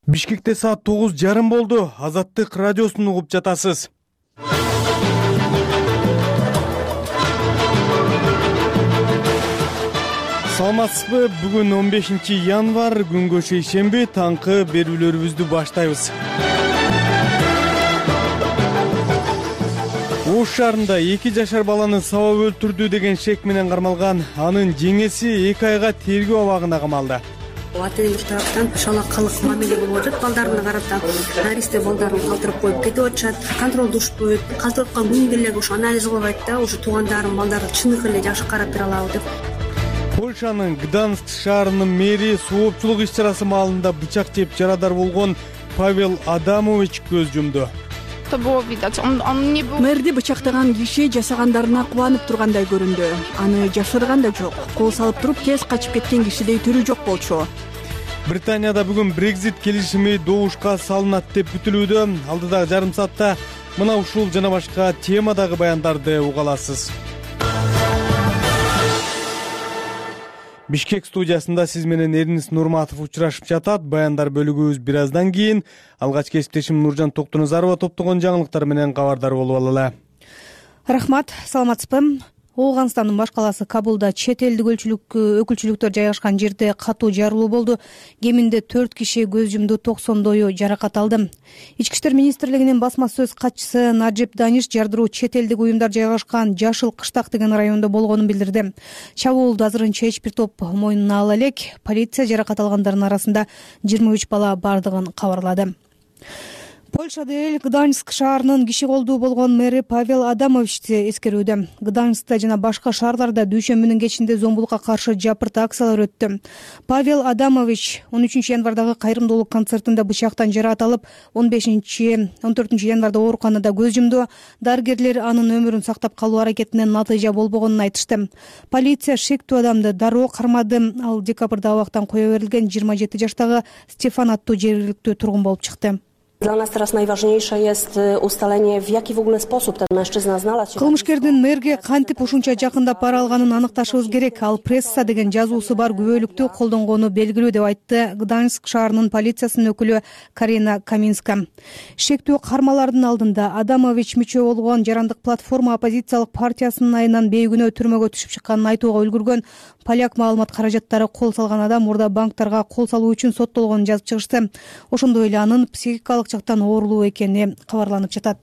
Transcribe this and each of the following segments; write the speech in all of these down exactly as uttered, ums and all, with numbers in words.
Бишкекте саат тогуз жарым болду. Азаттык радиосун угуп жатасыз. Саламатсызбы? Бүгүн он бешинчи январь, күнгө шейшемби, таңкы берүүлөрүбүздү баштайбыз. Ош шаарында эки жашар баланы сабап өлтүрдү деген шек менен кармалган анын жеңеси эки айга тергөө абагына камалды. Атайын тараптан шалакалык мамиле болуп атат балдарына карата. Наристе балдарын калтырып коюп кетип атышат, контролдушпайт, калтырып калган күнгө эле ушу анализ кылбайт да, ушу туугандарым балдарды чыныгы эле жакшы карап бере алабы деп. Польшанын Гданск шаарынын мэри соопчулук иш-чарасы маалында бычак жеп жарадар болгон Павел Адамович көз жумду. Мэрди бычактаган киши жасагандарына кубанып тургандай көрүндү. Аны жашырган да жок. Кол салып туруп тез качып кеткен кишидей түрү жок болчу. Британияда бүгүн Brexit келишими добушка салынат деп күтүлүүдө. Алдыдагы жарым саатта мына ушул жана башка темадагы баяндарды уга аласыз. Бишкек студиясында сиз менен Эрнис Нурматов учурашып жатат. Баяндар бөлүгүбүз бир аздан кийин. Алгач кесиптешим Нуржан Токтоназарова топтогон жаңылыктар менен кабардар болуп алалы. Рахмат, саламатсызбы? Ооганстандын баш калаасы Кабулда чет элдик өкүлчүлүктөр жайгашкан жерде катуу жарылуу болду. Кеминде төрт киши көз жумду, токсондою жаракат алды. Ички иштер министрлигинин басма сөз катчысы Наджиб Даниш жардыруу чет элдик уюмдар жайгашкан Жашыл Кыштак деген райондо болгонун билдирди. Чабуулду азырынча эч бир топ мойнуна ала элек. Полиция жаракат алгандардын арасында жыйырма үч бала бардыгын кабарлады. Польшада эл Гданьск шаарынын киши колдуу болгон мэри Павел Адамовичти эскерүүдө. Гданьскта жана башка шаарларда дүйшөмбүнүн кечинде зомбулукка каршы жапырт акциялар өттү. Павел Адамович он үчүнчү январдагы кайрымдуулук концертинде бычактан жаракат алып, он бешинчи он төртүнчү январда ооруканада көз жумду. Дарыгерлер анын өмүрүн сактап калуу аракетинен натыйжа болбогонун айтышты. Полиция шектүү адамды дароо кармады. Ал декабрда абактан кое берилген жыйырма жети жаштагы Стефан аттуу жергиликтүү тургун болуп чыкты. Dla nas teraz najważniejsze jest ustalenie, w jaki w ogóle sposób ten mężczyzna znalazł się. Кылмышкердин мэрге кантип ушунча жакындап бара алганын аныкташыбыз керек. Ал пресса деген жазуусу бар күбөлүктү колдонгону белгилүү деп айтты Гданьск шаарынын полициясынын өкүлү Карина Каминска. Шектүү кармалардын алдында Адамович мүчө болгон Жарандык платформа оппозициялык партиясынын айынан бейгүнөө түрмөгө түшүп чыкканын айтууга үлгүргөн. Поляк маалымат каражаттары кол салган адам мурда банктарга кол салуу үчүн соттолгонун жазып чыгышты. Ошондой эле анын психикалык жактан оорулуу экени кабарланып жатат.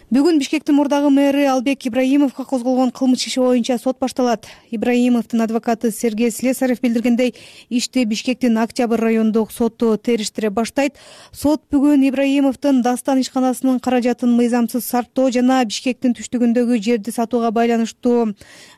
Бүгүн Бишкектин мурдагы мэри Албек Ибраимовго козголгон кылмыш иши боюнча сот башталат. Ибраимовдун адвокаты Сергей Слесарев билдиргендей, ишти Бишкектин Октябрь райондук соту териштире баштайт. Сот бүгүн Ибраимовдун Дастан ишканасынын каражатын мыйзамсыз сарптоо жана Бишкектин түштүгүндөгү жерди сатууга байланыштуу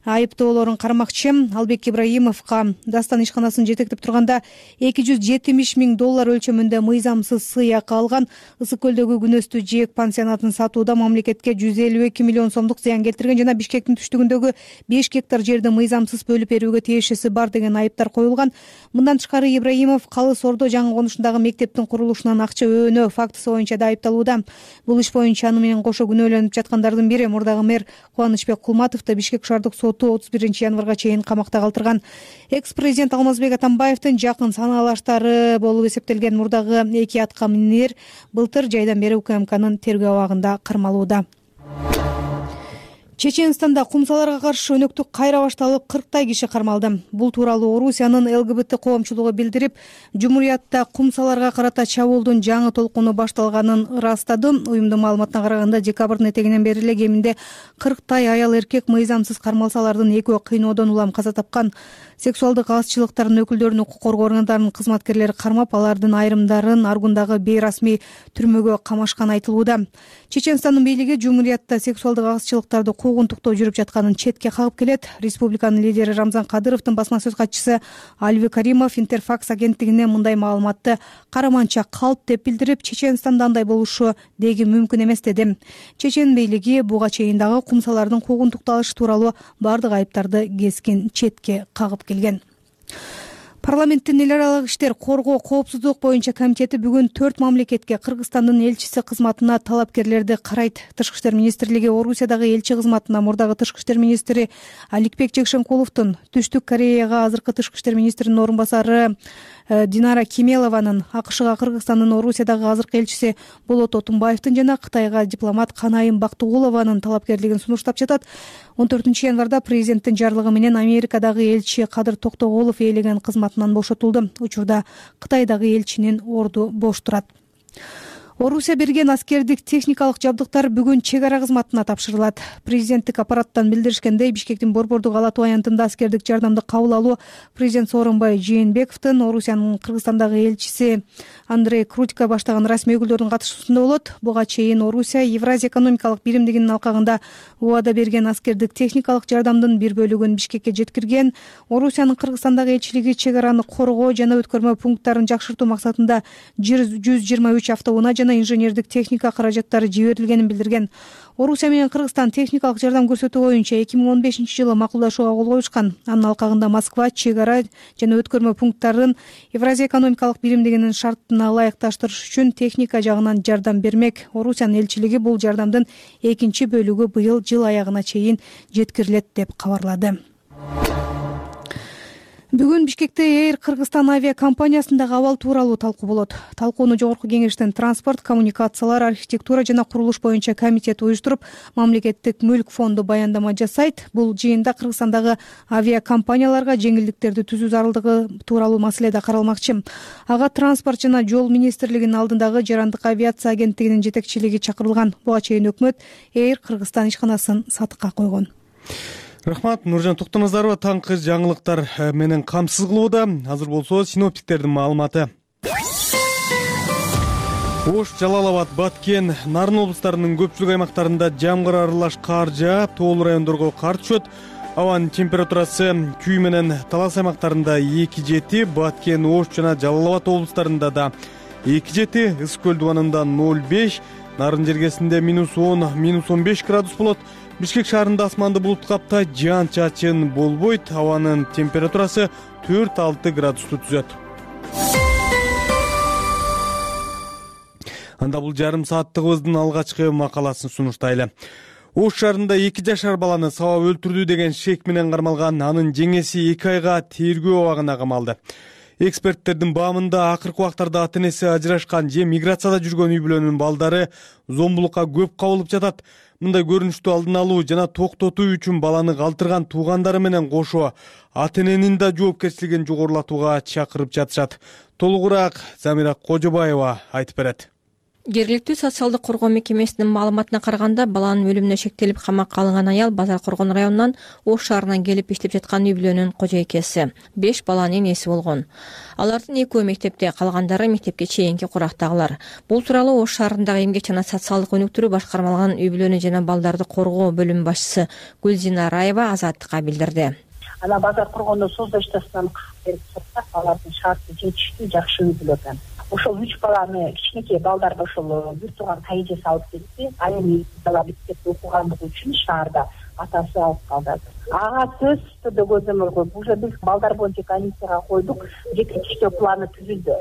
айыптоолорун кармакчы. Албек Ибраимовго Дастан ишканасын жетектеп турганда эки жүз жетимиш миң доллар өлчөмүндө мыйзамсыз сыйакы алган. Ысык көлдөгү күнөстүү жээк пансионатын сатууда мамлекетке жүз элүү эки миллион сомдук зыян келтирген жана Бишкектин түштүгүндөгү беш гектар жерди мыйзамсыз бөлүп берүүгө тиешеси бар деген айыптар коюлган. Мындан тышкары Ибраимов Калыс Ордо жаңы конушундагы мектептин курулушунан акча өөнөө фактысы боюнча да айыпталууда. Бул иш боюнча аны менен кошо күнөөлөнүп жаткандардын бири мурдагы мэр Кубанычбек Кулматовду Бишкек шаардык соту отуз биринчи январга чейин камакта калтырган. Экс-президент Алмазбек Атамбаевдин жакын санаалаштары болуп эсептелген мурдагы эки атка минер былтыр жайдан бери УКМКнын тергөө абагында кармалууда. Чеченстанда кумсаларга каршы өнөктүк кайра башталып, кырктай киши кармалды. Бул тууралуу Орусиянын ЛГБТ коомчулугу билдирип, Жумуриятта кумсаларга карата чабуулдун жаңы толкуну башталганын ырастады. Уюмдун маалыматына караганда, декабрдын этегинен бери эле кеминде кырктай аял эркек мыйзамсыз кармалсалардын экөө кыйноодон улам каза тапкан. Сексуалдык азчылыктардын өкүлдөрүн укук коргоо органдарынын кызматкерлери кармап, алардын айрымдарын Аргундагы бейрасмий түрмөгө камашкан айтылууда. Чеченстандын бийлиги Жумуриятта сексуалдык азчылыктарды куугунтуктоо жүрүп жатканын четке кагып келет. Республиканын лидери Рамзан Кадыровдун басма сөз катчысы Альви Каримов Интерфакс агенттигине мындай маалыматты караманча калп деп билдирип, Чеченстанда андай болушу деги мүмкүн эмес деди. Чечен бийлиги буга чейин дагы кумсалардын куугунтукталышы тууралуу бардык айыптарды кескин четке кагып келген. Парламенттин эл аралык иштер коргоо коопсуздук боюнча комитети бүгүн төрт мамлекетке Кыргызстандын элчиси кызматына талапкерлерди карайт. Тышкы иштер министрлиги Орусиядагы элчи кызматына мурдагы тышкы иштер министри Аликбек Жекшенкуловдун, Түштүк Кореяга азыркы тышкы иштер министринин орун басары Динара Кемелованын, АКШга Кыргызстандын Орусиядагы азыркы элчиси Болот Отунбаевдин жана Кытайга дипломат Канайым Бактыгулованын талапкерлигин сунуштап жатат. он төртүнчү январда президенттин жарлыгы менен Америкадагы элчи Кадыр Токтоголов ээлеген кызматынан бошотулду. Учурда Кытайдагы элчинин орду бош турат. Орусия берген аскердик техникалык жабдыктар бүгүн чек ара кызматына тапшырылат. Президенттик аппараттан билдиришкендей, Бишкектин Борбордук Ала Тоо аянтында аскердик жардамды кабыл алуу президент Сооронбай Жээнбековдун Орусиянын Кыргызстандагы элчиси Андрей Крутика баштаган расмий өкүлдөрдүн катышуусунда болот. Буга чейин Орусия Евразия экономикалык биримдигинин алкагында убада берген аскердик техникалык жардамдын бир бөлүгүн Бишкекке жеткирген. Орусиянын Кыргызстандагы элчилиги чек араны коргоо жана өткөрмө пункттарын жакшыртуу максатында жүз жыйырма үч автоунаа жана инженердик техника каражаттары жиберилгенин билдирген. Орусия менен Кыргызстан техникалык жардам көрсөтүү боюнча эки миң он бешинчи жылы макулдашууга кол коюшкан. Анын алкагында Москва чек ара жана өткөрмө пункттарын Евразия экономикалык биримдигинин шартына ылайыкташтырыш үчүн техника жагынан жардам бермек. Орусиянын элчилиги бул жардамдын экинчи бөлүгү быйыл жыл аягына чейин жеткирилет деп кабарлады. Бүгүн Бишкекте Эйр Кыргызстан авиакомпаниясындагы абал тууралуу талкуу болот. Талкууну Жогорку Кеңештин транспорт, коммуникациялар, архитектура жана курулуш боюнча комитети уюштуруп, Мамлекеттик мүлк фонду баяндама жасайт. Бул жыйында Кыргызстандагы авиакомпанияларга жеңилдиктерди түзүү зарылдыгы тууралуу маселе да каралмакчы. Ага транспорт жана жол министрлигинин алдындагы жарандык авиация агенттигинин жетекчилиги чакырылган. Буга чейин өкмөт Эйр Кыргызстан ишканасын сатыкка койгон. Рахмат, Нуржан Токтоназарова таңкы жаңылыктар менен камсыз кылууда. Азыр болсо синоптиктердин маалыматы. Ош, Жалал-Абад, Баткен, Нарын облустарынын көпчүлүк аймактарында жамгыр аралаш кар жаап, тоолуу райондорго кар түшөт. Абанын температурасы Күй менен Талас аймактарында эки жети, Баткен, Ош жана Жалал-Абад облустарында да эки жети, Ысык көл дубанында ноль беш, Нарын жергесинде минус он, минус он беш градус болот. Бишкек шаарында асманды булут каптай, жаан чачын болбойт. Абанын температурасы төрт алты градусту түзөт. Анда бул жарым сааттыгыбыздын алгачкы макаласын сунуштайлы. Ош шаарында эки жашар баланы сабап өлтүрдү деген шек менен кармалган анын жеңеси эки айга тергөө абагына камалды. Эксперттердин баамында акыркы убактарда ата-энеси ажырашкан же миграцияда жүргөн үй бүлөнүн балдары зомбулукка көп кабылып жатат. Мындай көрүнүштү алдын алуу жана токтотуу үчүн баланы калтырган туугандары менен кошо ата-эненин да жоопкерчилигин жогорулатууга чакырып жатышат. Толугураак Замира Кожобаева айтып берет. Жергиликтүү социалдык коргоо мекемесинин маалыматына караганда, баланын өлүмүнө шектелип камакка алынган аял Базар Коргон районунан Ош шаарынан келип иштеп жаткан үй бүлөнүн кожойкеси. Беш баланын энеси болгон. Алардын экөө мектепте, калгандары мектепке чейинки курактагылар. Бул тууралуу Ош шаарындагы эмгек жана социалдык өнүктүрүү башкармалыгынын үй бүлөнү жана балдарды коргоо бөлүм башчысы Гүлзина Раева Азаттыкка билдирди. Ана Базар Коргондо соцзащитасынан берип сатсак, алардын шарты жетиштүү, жакшы үй бүлө экен. Ошол үч баланы, кичинекей балдарды ошол бир тууган тайжеси алып келди. Ал эми бала мектепте окугандыгы үчүн шаарда атасы алып калды. Ага сөз түрдө көзөмөлгө уже биз балдар боюнча комиссияга койдук, жетиштүү планы түзүлдү.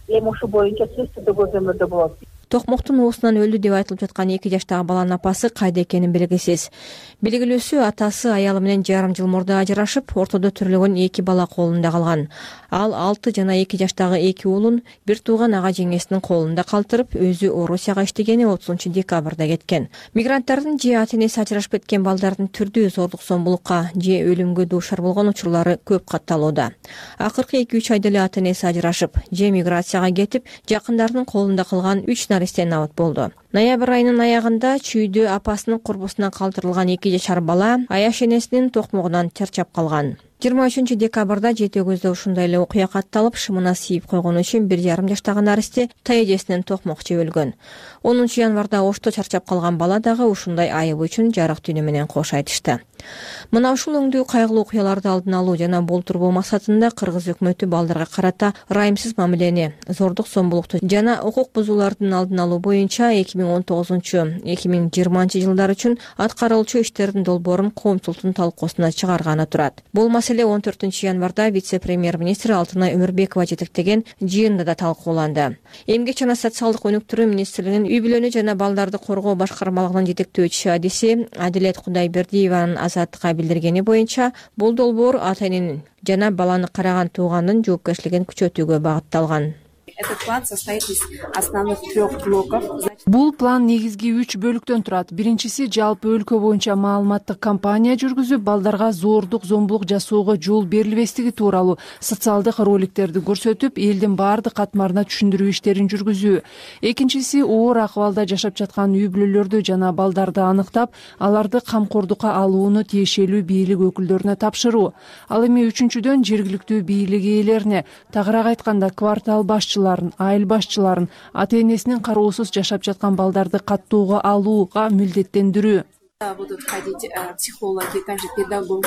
Эми ошол боюнча сөз түрдө көзөмөлдө болот. Токмоктун оосунан өлдү деп айтылып жаткан эки жаштагы баланын апасы кайда экени белгисиз. Белгилүүсү, атасы аялы менен жарым жыл мурда ажырашып, ортодо төрөлгөн эки бала колунда калган. Ал алты жана эки жаштагы эки уулун бир тууган ага жеңесинин колунда калтырып, өзү Орусияга иштегени отузунчу декабрда кеткен. Мигранттардын же ата-энеси ажырашып кеткен балдардын түрдүү зордук зомбулукка же өлүмгө дуушар болгон учурлары көп катталууда. Акыркы эки үч айда эле ата-энеси ажырашып, же миграцияга кетип, жакындарынын колунда калган үч наристе набат болду. Ноябрь айынын аягында чүйдө апасынын курбусунан калтырылган эки жашар бала аяш энесинин токмогунан чарчап калган. жыйырма үчүнчү декабрда жети көздө ушундай эле окуя катталып, шымына siiп койгону үчүн бир жарым жаштагы наристе таежесинен токмок жеп өлгөн. онунчу январда Ошто чарчап калган бала дагы ушундай айыбы үчүн жарык дүйнө менен кош айтышты. Мына ушул өңдүү кайгылуу окуяларды алдын алуу жана болтурбоо максатында Кыргыз өкмөтү балдарга карата ырайымсыз мамилени, зордук зомбулукту жана укук бузуулардын алдын алуу боюнча эки миң он тогузунчу эки миң жыйырманчы жылдар үчүн аткарылчу иштердин долбоорун коомчулуктун талкуусуна чыгарганы турат. Бул маселе он төртүнчү январда вице-премьер-министр Алтынай Өмүрбекова жетектеген жыйында да талкууланды. Эмгек жана социалдык өнүктүрүү министрлигинин үй бүлөнү жана балдарды коргоо башкармалыгынын жетектөөчүсү адиси Адилет Кудайбердиеванын азаттыкка билдиргени боюнча бул долбоор ата-эненин жана баланы караган туугандын жоопкерчилигин күчөтүүгө багытталган. Этот план состоит из основных трех блоков. Бул план негизги үч бөлүктөн турат. Биринчиси жалпы өлкө боюнча маалыматтык кампания жүргүзүп, балдарга зоордук, зомбулук жасоого жол берилбестиги тууралуу социалдык роликтерди көрсөтүп, элдин баардык катмарына түшүндүрүү иштерин жүргүзүү. Экинчиси оор акыбалда жашап жаткан үй бүлөлөрдү жана балдарды аныктап, аларды камкордукка алууну тиешелүү бийлик өкүлдөрүнө тапшыруу. Ал эми үчүнчүдөн жергиликтүү бийлик ээлерине, тагыраак айтканда квартал башчыларын, айыл башчыларын, ата-энесинин кароосуз жашап жаткан балдарды каттоого алууга милдеттендирүү. Будут ходить психологи, также педагоги.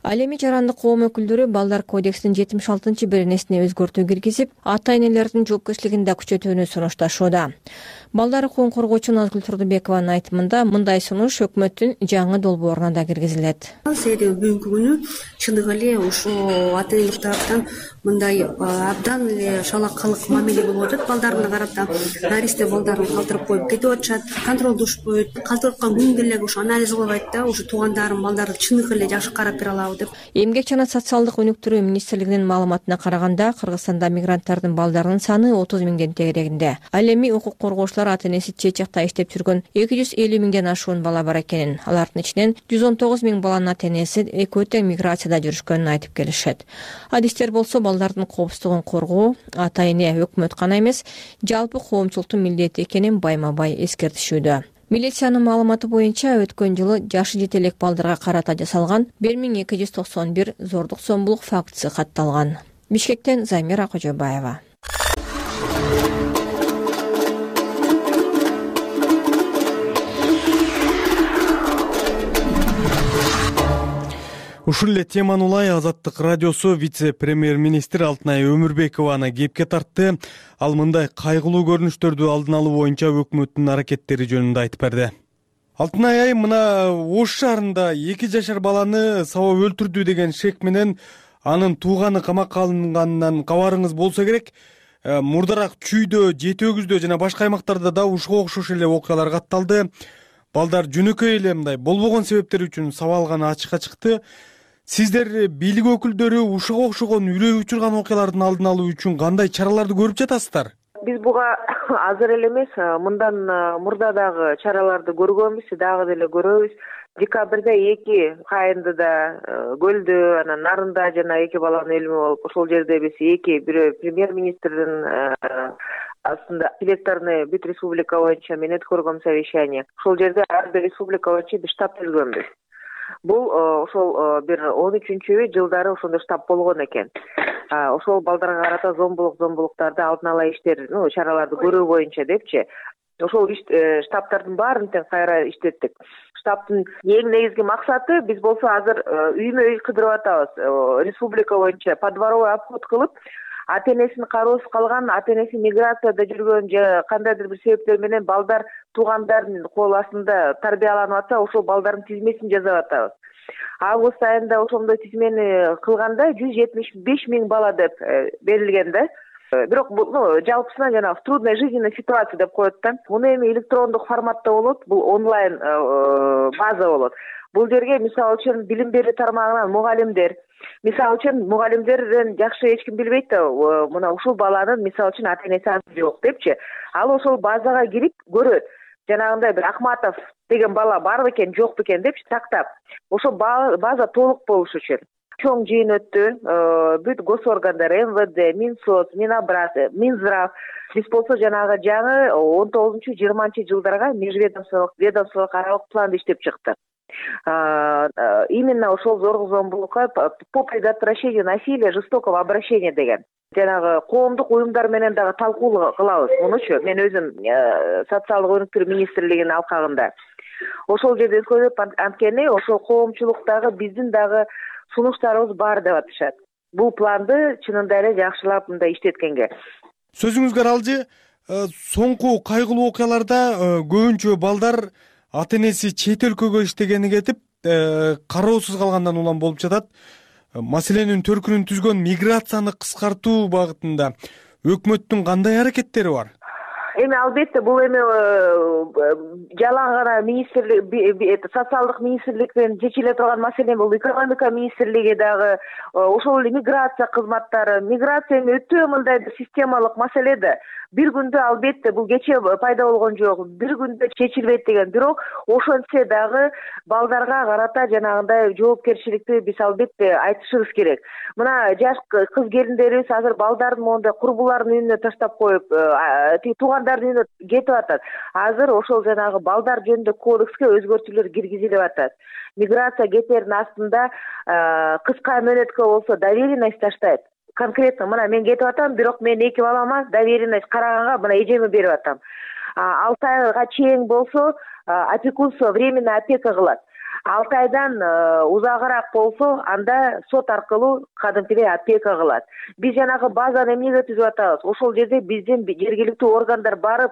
Ал эми жарандык коом өкүлдөрү балдар кодексинин жетимиш алтынчы беренесине өзгөртүү киргизип, ата-энелердин жоопкерчилигин да күчөтүүнү сунушташууда. Балдар укугун коргоочу Назгүл Турдубекованын айтымында мындай сунуш өкмөттүн жаңы долбооруна да киргизилет. Себеби бүгүнкү күнү чындыгы эле ушул ата-энелер тараптан мындай абдан эле шалакалык мамиле болуп атат балдарына карата. Наристе балдарын калтырып коюп кетип атышат, контролдошпойт, калтырып аткан күнгө эле ушу анализ кылбайт да, ушу туугандарым балдарды чындыгы эле жакшы карап бере алабы деп. Эмгек жана социалдык өнүктүрүү министрлигинин маалыматына караганда, Кыргызстанда мигранттардын балдарынын саны отуз миңден тегерегинде. Ал эми укук коргоочулар ата-энеси чечекте иштеп жүргөн эки жүз элүү миңден ашуун бала бар экенин, алардын ичинен жүз он тогуз миң баланын ата-энеси экөө тең миграцияда жүрүшкөнүн айтып келишет. Адистер болсо балдардын коопсуздугун коргоо ата-эне, өкмөт гана эмес, жалпы коомчулуктун милдети экенин байма-бай эскертишүүдө. Милициянын маалыматы боюнча өткөн жылы жашы жете элек балдарга карата жасалган бир миң эки жүз токсон бир зордук зомбулук фактысы катталган. Бишкектен Замира Кожобаева. Ушул эле теманы улай Азаттык радиосу вице-премьер-министр Алтынай Өмүрбекованы кепке тартты. Ал мындай кайгылуу көрүнүштөрдү алдын алуу боюнча өкмөттүн аракеттери жөнүндө айтып берди. Алтынай айым, мына Ош шаарында эки жашар баланы сабап өлтүрдү деген шек менен анын тууганы камакка алынганынан кабарыңыз болсо керек. Мурдараак Чүйдө, Жети Өгүздө жана башка аймактарда да ушуга окшош эле окуялар катталды. Балдар жөнөкөй эле мындай болбогон себептер үчүн сабалганы ачыкка чыкты. Сиздер бийлик өкүлдөрү ушуга окшогон үрөй учурган окуялардын алдын алуу үчүн кандай чараларды көрүп жатасыздар? Биз буга азыр эле эмес, мындан мурда дагы чараларды көргөнбүз, дагы деле көрөбүз. Декабрда эки Кайындыда, Көлдө, анан Нарында жана эки баланын өлүмү болуп, ошол жерде биз эки бирөө премьер-министрдин астында электорный бүт республика боюнча мен өткөргөм совещание. Ошол жерде ар бир республика боюнча биз штаб түзгөнбүз. Бул ошол бир он үчүнчү жылдары ошондой штаб болгон экен. Ошол балдарга карата зомбулук, зомбулуктарды алдын ала иштер, ну, чараларды көрүү боюнча депчи. Ошол штабтардын баарын тең кайра иштеттик. Штабтын эң негизги максаты биз болсо азыр үймө үй кыдырып атабыз. Республика боюнча подворовой обход кылып, ата-энесин кароосуз калган, ата-энеси миграцияда жүргөн же кандайдыр бир себептер менен балдар туугандардын кол астында тарбияланып атса, ошол балдардын тизмесин жасап атабыз. Август айында ошондой тизмени кылганда жүз жетимиш беш миң бала деп берилген да. Бирок бул жалпысынан жана в трудной жизненной ситуации деп коет да. Муну эми электрондук форматта болот, бул онлайн база болот. Бул жерге мисалы үчүн билим берүү тармагынан мугалимдер, мисалы үчүн мугалимдерден жакшы эч ким билбейт да, мына ушул баланын мисалы үчүн ата-энеси азыр жок депчи. Ал ошол базага кирип көрөт. Жанагындай бир Акматов деген бала бар бекен, жок бекен депчи тактап. Ошол база толук болуш үчүн чоң жыйын өттү. Бүт госоргандар, эм вэ дэ, Минсоц, Минобраз, Минздрав, биз болсо жанагы жаңы он тогузунчу жыйырманчы жылдарга межведомстволук ведомстволук аралык планды иштеп чыкты. Именно ошол зордук зомбулукка по предотвращению насилия, жестокого обращения деген. Жанагы коомдук уюмдар менен дагы талкуу кылабыз мунучу. Мен өзүм социалдык өнүктүрүү министрлигинин алкагында. Ошол жерде көрүп анткени ошол коомчулуктагы биздин дагы сунуштарыбыз бар деп атышат. Бул планды чынында эле жакшылап мындай иштеткенге. Сөзүңүзгө аралжы, соңку кайгылуу окуяларда көбүнчө балдар ата-энеси чет өлкөгө иштегени кетип, кароосуз калгандан улам болуп жатат. Маселенин төркүнүн түзгөн миграцияны кыскартуу багытында өкмөттүн кандай аракеттери бар? эми албетте бул эми жалаң гана министрлик социалдык министрликтен чечиле турган маселе, бул экономика министрлиги дагы, ошол эле миграция кызматтары. Миграция эми өтө мындай системалык маселе да. Бир күндө албетте бул кече пайда болгон жок, бир күндө чечилбейт деген. Бирок ошентсе дагы балдарга карата жанагындай жоопкерчиликти биз албетте айтышыбыз керек. Мына жаш кыз келиндерибиз азыр балдарын моундай курбулардын үйүнө таштап коюп, туугандардын үйүнө кетип атат. Азыр ошол жанагы балдар жөнүндө кодекске өзгөртүүлөр киргизилип атат. Миграция кетердин астында кыска мөөнөткө болсо доверенность таштайт. Конкретно мына мен кетип атам, бирок мен эки балама доверенность караганга мына эжеме берип атам. алты айга чейин болсо опекунство, временный опека кылат. алты айдан узагыраак болсо анда сот аркылуу кадимкидей опека кылат. Биз жанагы базаны эмнеге түзүп атабыз? Ошол жерде биздин жергиликтүү органдар барып,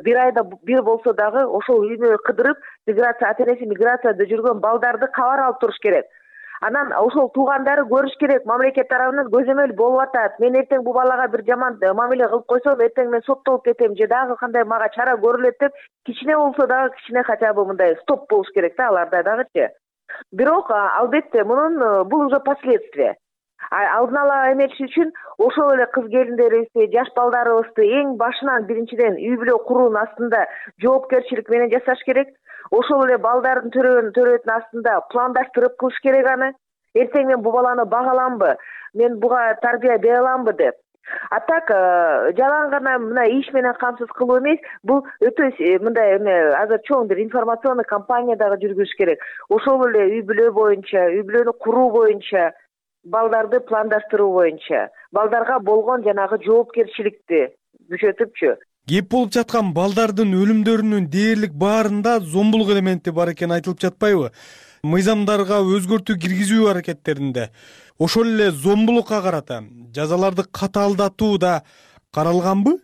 бир айда бир болсо дагы ошол үйүнө кыдырып, миграция операция миграцияда жүргөн балдарды кабар алып туруш керек. Анан ошол туугандары көрүш керек, мамлекет тарабынан көзөмөл болуп атат. Мен эртең бул балага бир жаман мамиле кылып койсом, эртең мен соттолуп кетем же дагы кандай мага чара көрүлөт деп, кичине болсо дагы кичине хотя бы мындай стоп болуш керек да аларда дагычы. Бирок албетте мунун бул уже последствия. Алдын ала эметиш үчүн ошол эле кыз келиндерибизди, жаш балдарыбызды эң башынан биринчиден үй бүлө куруунун астында жоопкерчилик менен жасаш керек. Ошол эле балдардын төрөтүнүн астында пландаштырып кылыш керек аны. Эртең мен бул баланы бага аламбы, мен буга тарбия бере аламбы деп. А так жалаң гана мына иш менен камсыз кылуу эмес, бул өтө мындай эме азыр чоң бир информационный кампания дагы жүргүзүш керек. Ошол эле үй бүлө боюнча, үй бүлөнү куруу боюнча, балдарды пландаштыруу боюнча, балдарга болгон жанагы жоопкерчиликти күчөтүпчү. Кеп болуп жаткан балдардын өлүмдөрүнүн дээрлик баарында зомбулук элементи бар экени айтылып жатпайбы? Мыйзамдарга өзгөртүү киргизүү аракеттеринде ошол эле зомбулукка карата жазаларды катаалдатуу да каралганбы?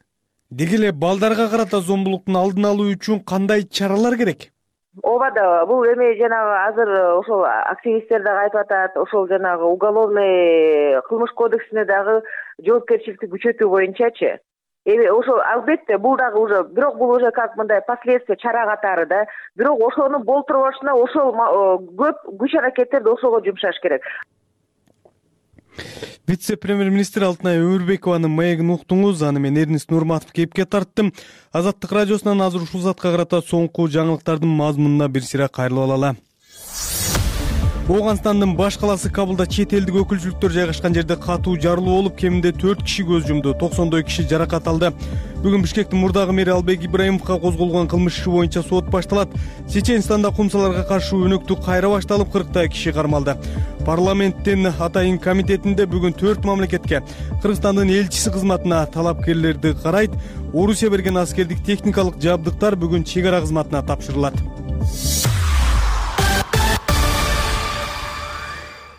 Деги эле балдарга карата зомбулуктун алдын алуу үчүн кандай чаралар керек? Ооба да, бул эми жанагы азыр ошол активисттер дагы айтып атат, ошол жанагы уголовный кылмыш кодексине дагы жоопкерчиликти күчөтүү боюнчачы. Эми ошол албетте бул дагы уже, бирок бул уже как мындай последствия чара катары да. Бирок ошону болтурбашына ошол көп күч аракеттерди ошого жумшаш керек. Вице-премьер-министр Алтынай Өмүрбекованын маегин уктуңуз. Аны мен Эрнис Нурматов кепке тарттым. Азаттык радиосунан азыр ушул затка карата соңку жаңылыктардын мазмунуна бир сыйра кайрылып алалы. Ооганстандын баш каласы Кабулда чет элдик өкүлчүлүктөр жайгашкан жерде катуу жарылуу болуп, кеминде төрт киши көз жумду, токсондой киши жаракат алды. Бүгүн Бишкектин мурдагы мэри Албек Ибраимовго козголгон кылмыш иши боюнча сот башталат. Чеченстанда кумсаларга каршы өнөктү кайра башталып, кырктай киши кармалды. Парламенттин атайын комитетинде бүгүн төрт мамлекетке Кыргызстандын элчиси кызматына талапкерлерди карайт. Орусия берген аскердик техникалык жабдыктар бүгүн чек ара кызматына тапшырылат.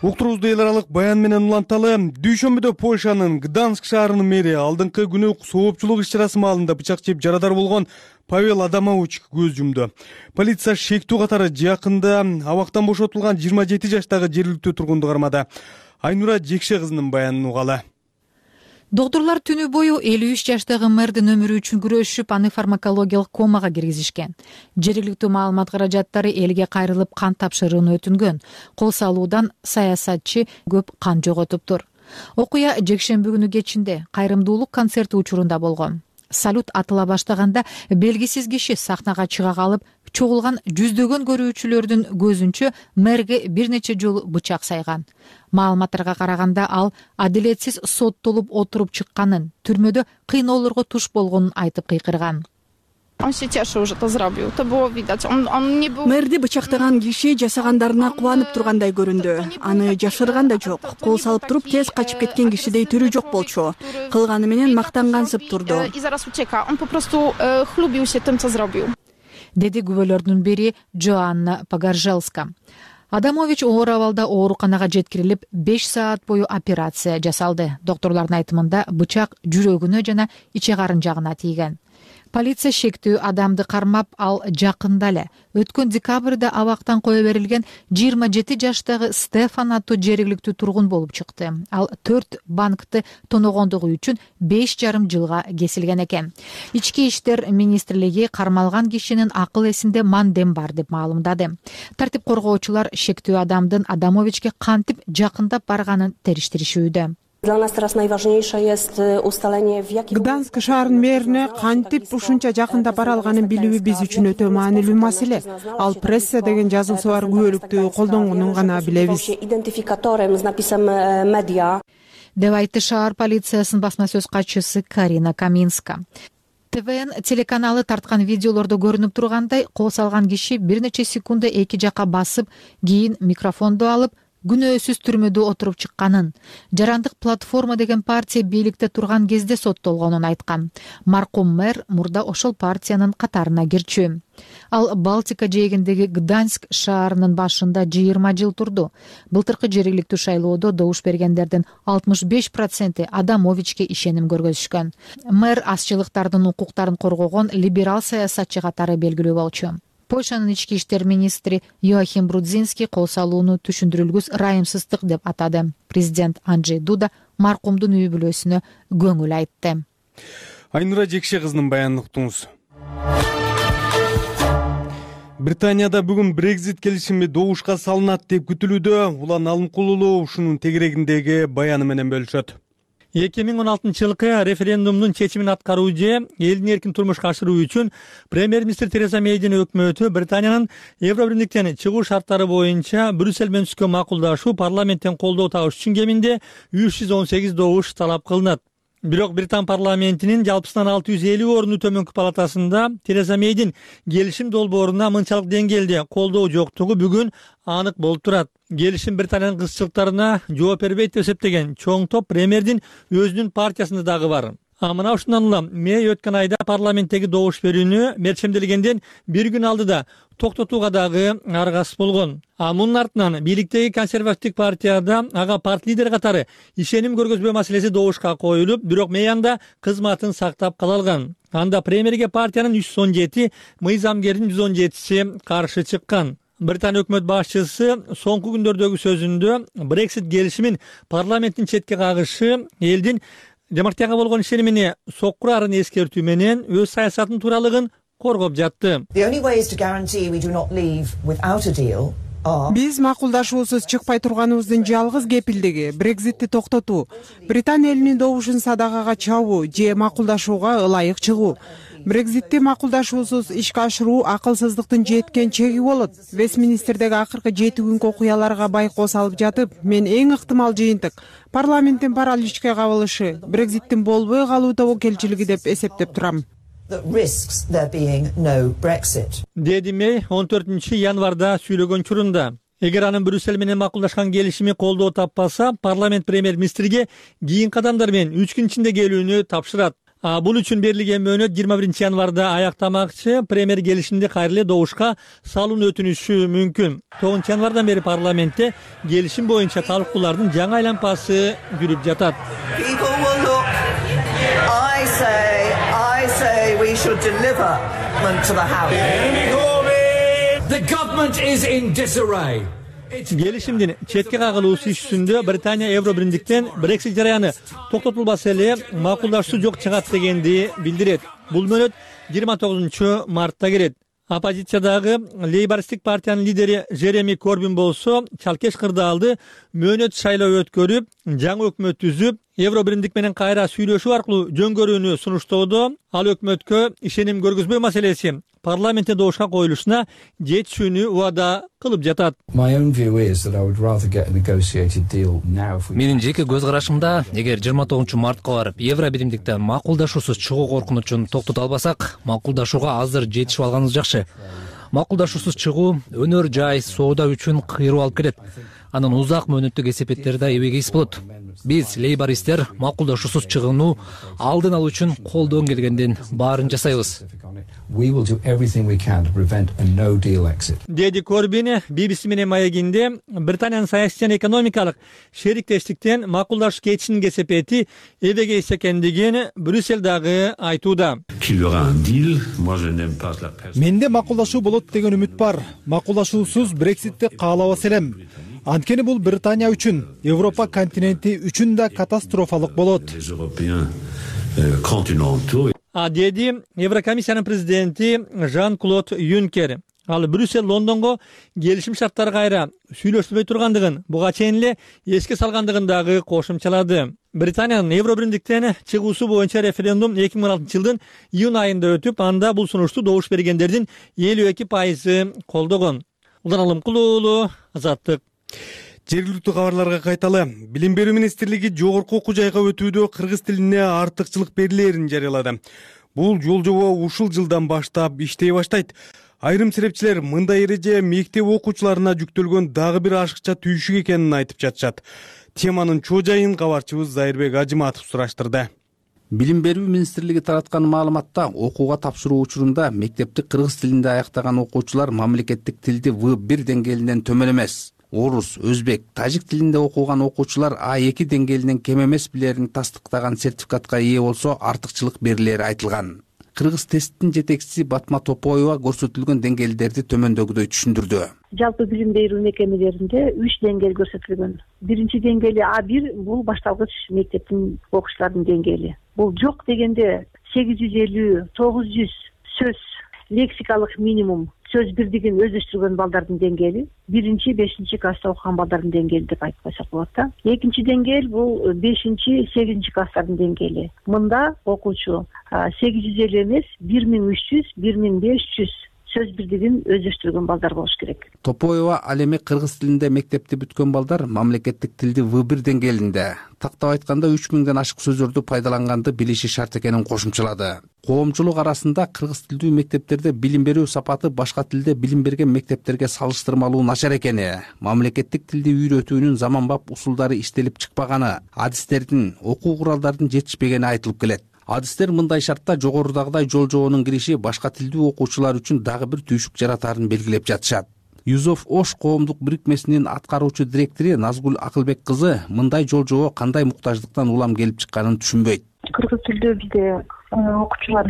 Уктуруубузду эл аралык баян менен уланталы. Дүйшөмбүдө Польшанын Гданьск шаарынын мэри алдыңкы күнү соопчулук иш-чарасы маалында бычак жеп жарадар болгон Павел Адамович көз жумду. Полиция шектүү катары жакында абактан бошотулган жыйырма жети жаштагы жергиликтүү тургунду кармады. Айнура Жекше кызынын баянын угалы. Доктурлар түнү бою элүү үч жаштагы мэрдин өмүрү үчүн күрөшүп, аны фармакологиялык комага киргизишкен. Жергиликтүү маалымат каражаттары элге кайрылып кан тапшырууну өтүнгөн. Кол салуудан саясатчы көп кан жоготуптур. Окуя жекшемби күнү кечинде кайрымдуулук концерти учурунда болгон. Салют атыла баштаганда белгисиз киши сахнага чыга калып, чогулган жүздөгөн көрүүчүлөрдүн көзүнчө мэрге бир нече жолу бычак сайган. Маалыматтарга караганда ал адилетсиз соттолуп отуруп чыкканын, түрмөдө кыйноолорго туш болгонун айтып кыйкырган. Мэрди бычактаган киши жасагандарына кубанып тургандай көрүндү. Аны жашырган да жок. Кол салып туруп тез качып кеткен кишидей түрү жок болчу. Кылганы менен мактангансып турду. Деди күбөлөрдүн бири Джоанна Погоржелска. Адамович оор абалда ооруканага жеткирилип, беш саат бою операция жасалды. Доктурлардын айтымында бычак жүрөгүнө жана иче карын жагына тийген. Полиция шектүү адамды кармап, ал жакында эле өткөн декабрда абактан кое берилген жыйырма жети жаштагы Стефан аттуу жергиликтүү тургун болуп чыкты. Ал төрт банкты тоногондугу үчүн беш жарым жылга кесилген экен. Ички иштер министрлиги кармалган кишинин акыл эсинде мандем бар деп маалымдады. Тартип коргоочулар шектүү адамдын Адамовичке кантип жакындап барганын териштиришүүдө. Dla nas teraz najważniejsze jest ustalenie, w jaki Gdansk шаарынын мэрине кантип ушунча жакында бара алганын билүү биз үчүн өтө маанилүү маселе. Ал пресса деген жазуусу бар күбөлүктү колдонгонун гана билебиз. Identifikatorem z napisem media. Деп айтты шаар полициясынын басма сөз катчысы Карина Каминска. ТВН телеканалы тарткан видеолордо көрүнүп тургандай, кол салган киши бир нече секунда эки жака басып, кийин микрофонду алып күнөөсүз түрмөдө отуруп чыкканын, Жарандык платформа деген партия бийликте турган кезде соттолгонун айткан. Маркум мэр мурда ошол партиянын катарына кирчү. Ал Балтика жээгиндеги Гданьск шаарынын башында жыйырма жыл турду. Былтыркы жергиликтүү шайлоодо добуш бергендердин алтымыш беш проценти Адамовичке ишеним көргөзүшкөн. Мэр азчылыктардын укуктарын коргогон либерал саясатчы катары белгилүү болчу. Польшанын ички иштер министри Йоахим Брудзинский кол салууну түшүндүрүлгүс ырайымсыздык деп атады. Президент Анджей Дуда маркумдун үй бүлөсүнө көңүл айтты. Айнура Жекше кызынын баянын уктуңуз. Британияда бүгүн Brexit келишими добушка салынат деп күтүлүүдө. Улан Алымкулулуу ушунун тегерегиндеги баяны менен бөлүшөт. эки миң он алтынчы жылкы референдумдун чечимин аткаруучу элдин эркин турмушка ашыруу үчүн премьер-министр Тереза Мейдин өкмөтү Британиянын Евробирликтен чыгуу шарттары боюнча Брюссель менен түзгөн макулдашуу парламенттен колдоо табыш үчүн кеминде үч жүз он сегиз добуш талап кылынат. Бирок Британ парламентинин жалпысынан алты жүз элүү орунду төмөнкү палатасында Тереза Мейдин келишим долбооруна мынчалык деңгээлде колдоо жоктугу бүгүн анык болуп турат. Келишим Британиянын кызчылыктарына жооп бербейт деп эсептеген чоң топ премьердин өзүнүн партиясында дагы бар. А мына ушундан улам Мэй өткөн айда парламенттеги добуш берүүнү мерчемделгенден бир күн алдыда токтотууга дагы аргасыз болгон. А мунун артынан бийликтеги консервативдик партияда ага парт лидери катары ишеним көргөзбөө маселеси добушка коюлуп, бирок Мэй анда кызматын сактап кала алган. Анда премьерге партиянын үч жүз он жети, мыйзамгердин жүз он жетиси каршы чыккан. Британия өкмөт башчысы соңку күндөрдөгү сөзүндө Brexit келишимин парламенттин четке кагышы элдин демократияга болгон ишенимине соккурарын эскертүү менен өз саясатынын тууралыгын коргоп жатты. Биз макулдашуусуз чыкпай турганыбыздын жалгыз кепилдиги Брекзитти токтотуу, Британия элинин добушун садагага чабуу же макулдашууга ылайык чыгуу. Брекзитти макулдашуусуз ишке ашыруу акылсыздыктын жеткен чеги болот. Вестминистердеги акыркы жети күнкү окуяларга байкоо салып жатып, мен эң ыктымал жыйынтык парламенттин параличке кабылышы Брекзиттин болбой калуу тобокелчилиги деп эсептеп турам. Деди Мэй он төртүнчү январда сүйлөгөн учурунда. Эгер анын Брюссель менен макулдашкан келишими колдоо таппаса, парламент премьер-министрге кийинки кадамдар менен үч күн ичинде келүүнү тапшырат. А бул үчүн берилген мөөнөт жыйырма биринчи январда аяктамакчы, премьер келишимди кайра эле добушка салууну өтүнүшү мүмкүн. тогузунчу январдан бери парламентте келишим боюнча талкуулардын жаңы айланпасы жүрүп жатат. We should deliver them to the House. The government is in disarray. Келишимдин четке кагылуусу ишүндө Британия Евробирликтен Brexit жараяны токтотулбаса эле макулдашуу жок чыгат дегенди билдирет. Бул мөөнөт жыйырма тогузунчу мартта келет. Оппозициядагы лейбористтик партиянын лидери Жереми Корбин болсо чалкеш кырдаалды мөөнөт шайлоо өткөрүп, жаңы өкмөт түзүп, Евробирлик менен кайра сүйлөшүү аркылуу жөн көрүүнү сунуштоодо. Ал өкмөткө ишеним көргөзбөө маселеси парламентте добушка коюлушуна жетишүүнү убада кылып жатат. Менин жеке көз карашымда, эгер жыйырма тогузунчу мартка барып Евробиримдиктен макулдашуусуз чыгуу коркунучун токтото албасак, макулдашууга азыр жетишип алганыбыз жакшы. Макулдашуусуз чыгуу өнөр жай соода үчүн кыйроо алып келет. Анын узак мөөнөттүк эсепеттери да эбегейс болот. Биз лейбористтер макулдашуусуз чыгууну алдын алуу үчүн колдон келгенден баарын жасайбыз. Деди Корбин би би си менен маегинде Британиянын саясий жана экономикалык шериктештиктен макулдашуу кетишинин кесепети эбегейс экендигин Брюссель дагы айтууда. менде макулдашуу болот деген үмүт бар. Макулдашуусуз Брекситти каалабас элем. Анткени бул Британия үчүн, Европа континенти үчүн да катастрофалык болот. деди Еврокомиссиянын президенти Жан-Клод Юнкер. Ал Брюссель Лондонго келишим шарттары кайра сүйлөшпөй тургандыгын, буга чейин эле эске салгандыгын дагы кошумчалады. Британиянын Евро биримдиктен чыгуусу боюнча референдум эки миң он алтынчы жылдын июнь айында өтүп, анда бул сунушту добуш бергендердин элүү эки пайызы колдогон. Улан Алымкулуу уулу, Азаттык. Жергиликтүү кабарларга кайталы. Билим берүү министрлиги жогорку окуу жайга өтүүдө кыргыз тилине артыкчылык берилерин жарыялады. Бул жол-жобо ушул жылдан баштап иштей баштайт. Айрым серепчилер мындай эреже мектеп окуучуларына жүктөлгөн дагы бир ашыкча түйшүк экенин айтып жатышат. Теманын чоо жайын кабарчыбыз Зайырбек Ажыматов сураштырды. Билим берүү министрлиги тараткан маалыматта окууга тапшыруу учурунда мектепти кыргыз тилинде аяктаган окуучулар мамлекеттик тилди вэ бир деңгээлинен төмөн эмес. Орус, өзбек, тажик тилинде окуган окуучулар а эки деңгээлинен кем эмес билерин тастыктаган сертификатка ээ болсо артыкчылык берилери айтылган. Кыргыз тесттин жетекчиси Батма Топоева көрсөтүлгөн деңгээлдерди төмөндөгүдөй түшүндүрдү. Жалпы билим берүү мекемелеринде үч деңгээл көрсөтүлгөн. Биринчи деңгээли а бир бул башталгыч мектептин окуучулардын деңгээли. Бул жок дегенде сегиз жүз элүү тогуз жүз сөз лексикалык минимум сөз бирдигин өздөштүргөн балдардын деңгээли. Биринчи, бешинчи класста окуган балдардын деңгээли деп айтып койсок болот да. Экинчи деңгээл бул бешинчи, сегизинчи класстардын деңгээли. Мында окуучу сегиз жүз элүү эмес, бир миң үч жүз, бир миң беш жүз сөз бирдигин өздөштүргөн балдар болуш керек. Топоева ал эми кыргыз тилинде мектепти бүткөн балдар мамлекеттик тилди вэ бир деңгээлинде, тактап айтканда үч миңден ашык сөздөрдү пайдаланганды билиши шарт экенин кошумчалады. Коомчулук арасында кыргыз тилдүү мектептерде билим берүү сапаты башка тилде билим берген мектептерге салыштырмалуу начар экени, мамлекеттик тилди үйрөтүүнүн заманбап усулдары иштелип чыкпаганы, адистердин, окуу куралдардын жетишпегени айтылып келет. Адистер мындай шартта жогорудагыдай жол-жобонун кириши башка тилдүү окуучулар үчүн дагы бир түйшүк жаратарын белгилеп жатышат. Юзов Ош коомдук бирикмесинин аткаруучу директору Назгул Акылбек кызы мындай жол-жобо кандай муктаждыктан улам келип чыкканын түшүнбөйт. Кыргыз тилдүү бизде окуучулар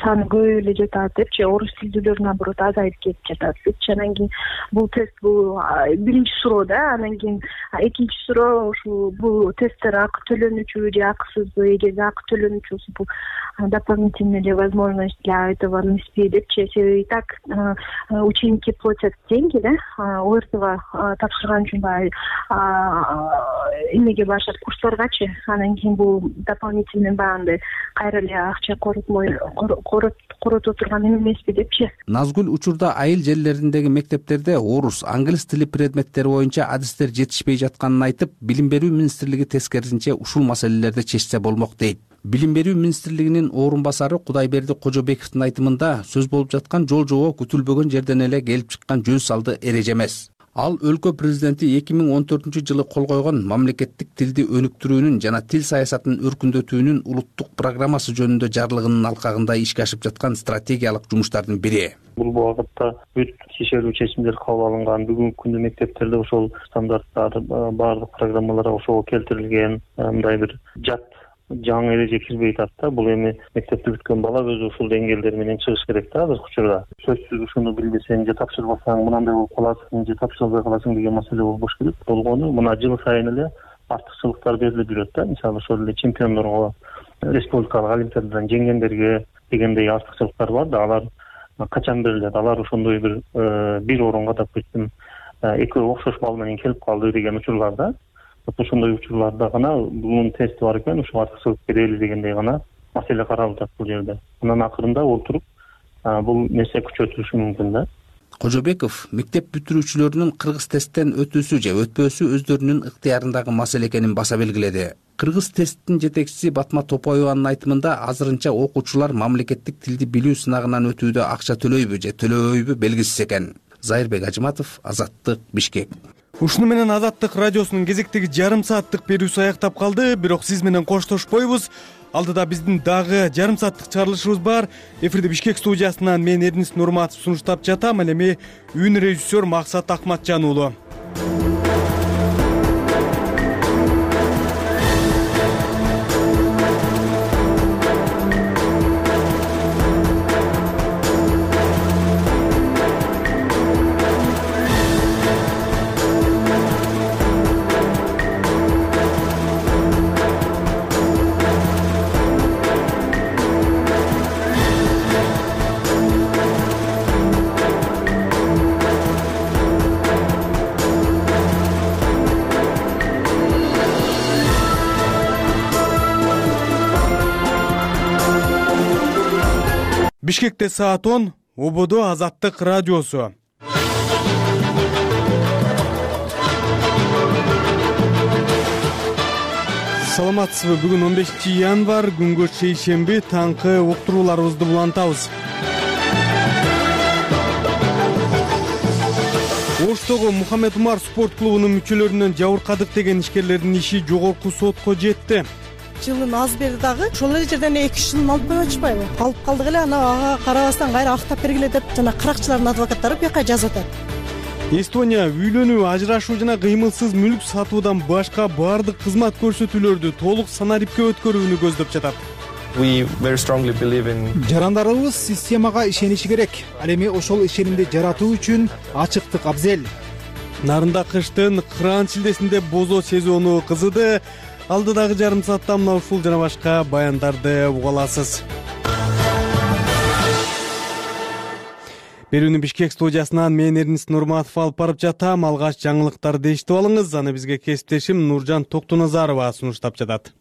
саны көп эле жатат депчи, орус тилдүүлөр наоборот азайып кетип жатат депчи. Анан кийин бул тест бул биринчи суроо да, анан кийин экинчи суроо ушул бул тесттер акы төлөнүүчүбү же акысызбы, эгер акы төлөнүүчү бул дополнительная возможность для этого эн эс пи депчи. И так ученики платят деньги, да, ОРТга тапшырган үчүн баягы эмеге барышат, курсларгачы. Анан кийин бул дополнительный баягындай кайра эле акча коротмой корото турган эмеспи депчи. Назгул учурда айыл жерлериндеги мектептерде орус, англис тили предметтери боюнча адистер жетишпей жатканын айтып, билим берүү министрлиги тескерисинче ушул маселелерди чечсе болмок дейт. Билим берүү министрлигинин орун басары Кудайберди Кожобековдун айтымында сөз болуп жаткан жол-жобо күтүлбөгөн жерден эле келип чыккан жөн салды эреже эмес. Ал өлкө президенти эки миң он төртүнчү жылы кол койгон мамлекеттик тилди өнүктүрүүнүн жана тил саясатын өркүндөтүүнүн улуттук программасы жөнүндө жарлыгынын алкагында ишке ашып жаткан стратегиялык жумуштардын бири. Бул багытта бүт шишерүү чечимдер кабыл алынган. Бүгүнкү күндө мектептерде ошол стандарттар, баардык программалар ошого келтирилген. Мындай бир жат жаңы эреже кирбей атат. Бул эми мектепти бүткөн бала өзү ушул деңгээлдер менен чыгыш керек да азыркы учурда. Сөзсүз ушуну билбесең же тапшырбасаң мынандай болуп каласың же тапшырбай каласың деген маселе болбош керек. Болгону мына жыл сайын эле артыкчылыктар берилип жүрөт да. Мисалы ошол эле чемпиондорго, республикалык олимпиададан жеңгендерге дегендей артыкчылыктар бар да. Алар качан берилет? Алар ошондой бир бир орунга, допустим, экөө окшош бал менен келип калды деген учурларда. Ошондой учурларда гана бунун тести бар экен, ушул артыкчылык берели дегендей гана маселе каралып жатат бул жерде. Анан акырында олтуруп бул нерсе күчөтүлүшү мүмкүн да. Кожобеков мектеп бүтүрүүчүлөрүнүн кыргыз тесттен өтүүсү же өтпөөсү өздөрүнүн ыктыярындагы маселе экенин баса белгиледи. Кыргыз тесттин жетекчиси Батма Топоеванын айтымында азырынча окуучулар мамлекеттик тилди билүү сынагынан өтүүдө акча төлөйбү же төлөбөйбү белгисиз экен. Зайырбек Ажыматов, Азаттык, Бишкек. Ушуну менен Азаттык радиосунун кезектеги жарым сааттык берүүсү аяктап калды, бирок сиз менен коштошпойбуз. Алдыда биздин дагы жарым сааттык чыгарылышыбыз бар. Эфирде Бишкек студиясынан мен Эрнис Нурматов сунуштап жатам. Ал эми үн режиссер Максат Акматжан уулу. Бишкекте саат он, ободо Азаттык радиосу. Саламатсызбы? Бүгүн он бешинчи январь, күнгө шейшемби, таңкы уктурууларыбызды улантабыз. Оштогу Мухаммед Умар спорт клубунун мүчөлөрүнөн жабыркадык деген ишкерлердин иши жогорку сотко жетти. Жылын аз берди дагы, ошол эле жерден эки үч жылын алып коюп атышпайбы? Алып калдык эле, ана ага карабастан кайра актап бергиле деп жана кыракчылардын адвокаттары бияка жазып атат. Эстония үйлөнүү, ажырашуу жана кыймылсыз мүлк сатуудан башка баардык кызмат көрсөтүүлөрдү толук санарипке өткөрүүнү көздөп жатат. Жарандарыбыз системага ишениши керек. Ал эми ошол ишенимди жаратуу үчүн ачыктык абзел. Нарында кыштын кыраан шилдесинде бозо сезону кызыды. Алдыдагы жарым саатта мына ушул жана башка баяндарды уга аласыз. Берүүнү Бишкек студиясынан мен Эрнис Нурматов алып барып жатам. Алгач жаңылыктарды эшитип алыңыз. Аны бизге кесиптешим Нуржан Токтоназарова сунуштап жатат.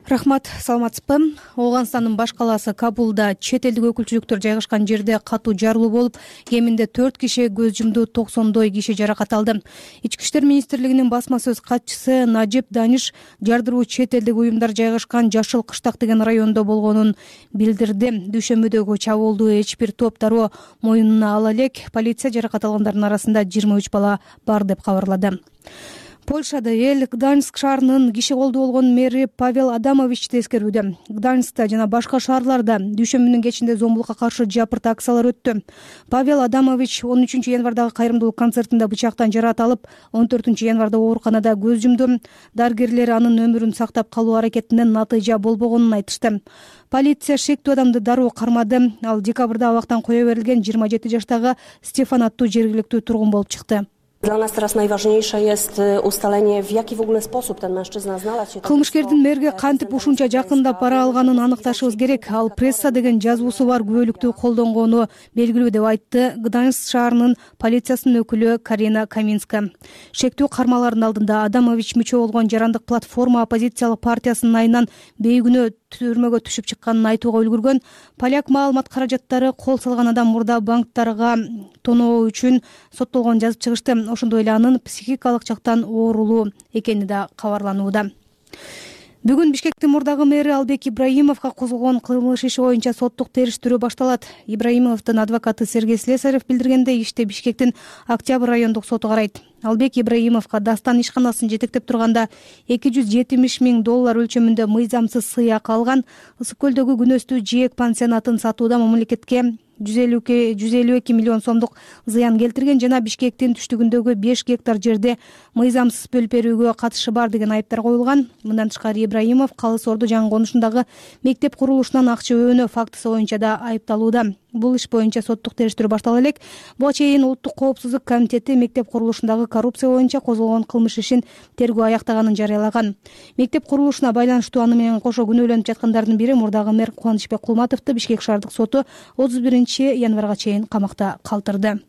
Рахмат, саламатсызбы? Ооганстандын баш калаасы Кабулда чет элдик өкүлчүлүктөр жайгашкан жерде катуу жарылуу болуп, кеминде төрт киши көз жумду, токсондой киши жаракат алды. Ички иштер министрлигинин басма сөз катчысы Нажип Даниш жардыруу чет элдик уюмдар жайгашкан Жашыл Кыштак деген райондо болгонун билдирди. Дүйшөмбүдөгү чабуулду эч бир топ дароо моюнуна ала элек. Полиция жаракат алгандардын арасында жыйырма үч бала бар деп кабарлады. Польшада эл Гданьск шаарынын киши колдуу болгон мэри Павел Адамовичти эскерүүдө. Гданьскта жана башка шаарларда дүйшөмбүнүн кечинде зомбулукка каршы жапырт акциялар өттү. Павел Адамович он үчүнчү январдагы кайрымдуулук концертинде бычактан жаратылып, он төртүнчү январда ооруканада көз жумду. Дарыгерлер анын өмүрүн сактап калуу аракетинен натыйжа болбогонун айтышты. Полиция шектүү адамды дароо кармады. Ал декабрда абактан кое берилген жыйырма жети жаштагы Стефан аттуу жергиликтүү тургун болуп чыкты. Dla nas teraz najważniejsze jest ustalenie, w jaki w ogóle sposób ten mężczyzna znalazł się. Кылмышкердин мэрге кантип ушунча жакында пара алганын аныкташыбыз керек. Ал пресса деген жазуусу бар күбөлүктү колдонгону белгилүү деп айтты Гданьск шаарынын полициясынын өкүлү Карина Каминска. Шектүү кармалардын алдында Адамович мүчө болгон жарандык платформа оппозициялык партиясынын айынан бейгүнөө түрмөгө түшүп чыкканын айтууга үлгүргөн. Поляк маалымат каражаттары кол салган адам мурда банктарга тоноо үчүн соттолгонун жазып чыгышты. Ошондой эле анын психикалык жактан оорулуу экени да кабарланууда. Бүгүн Бишкектин мурдагы мэри Албек Ибраимовго козголгон кылмыш иши боюнча соттук териштирүү башталат. Ибраимовдун адвокаты Сергей Слесарев билдиргендей, ишти Бишкектин Октябрь райондук соту карайт. Албек Ибраимовго Дастан ишканасын жетектеп турганда эки жүз жетимиш миң доллар өлчөмүндө мыйзамсыз сыйак алган. Ысык көлдөгү күнөстүү жээк пансионатын сатууда мамлекетке жүз элүү эки миллион сомдук зыян келтирген жана Бишкектин түштүгүндөгү беш гектар жерде мыйзамсыз бөлүп берүүгө катышы бар деген айыптар коюлган. Мындан тышкары Ибраимов Калыс Орду жаңы конушундагы мектеп курулушунан акча өөнөө фактысы боюнча да айыпталууда. Бул иш боюнча соттук териштирүү баштала элек. Буга чейин Улуттук коопсуздук комитети мектеп курулушундагы коррупция боюнча козголгон кылмыш ишин тергөө аяктаганын жарыялаган. Мектеп курулушуна байланыштуу аны менен кошо күнөөлөнүп жаткандардын бири мурдагы мэр Кубанычбек Кулматовду Бишкек шаардык соту отуз биринчи январга чейин камакта калтырды.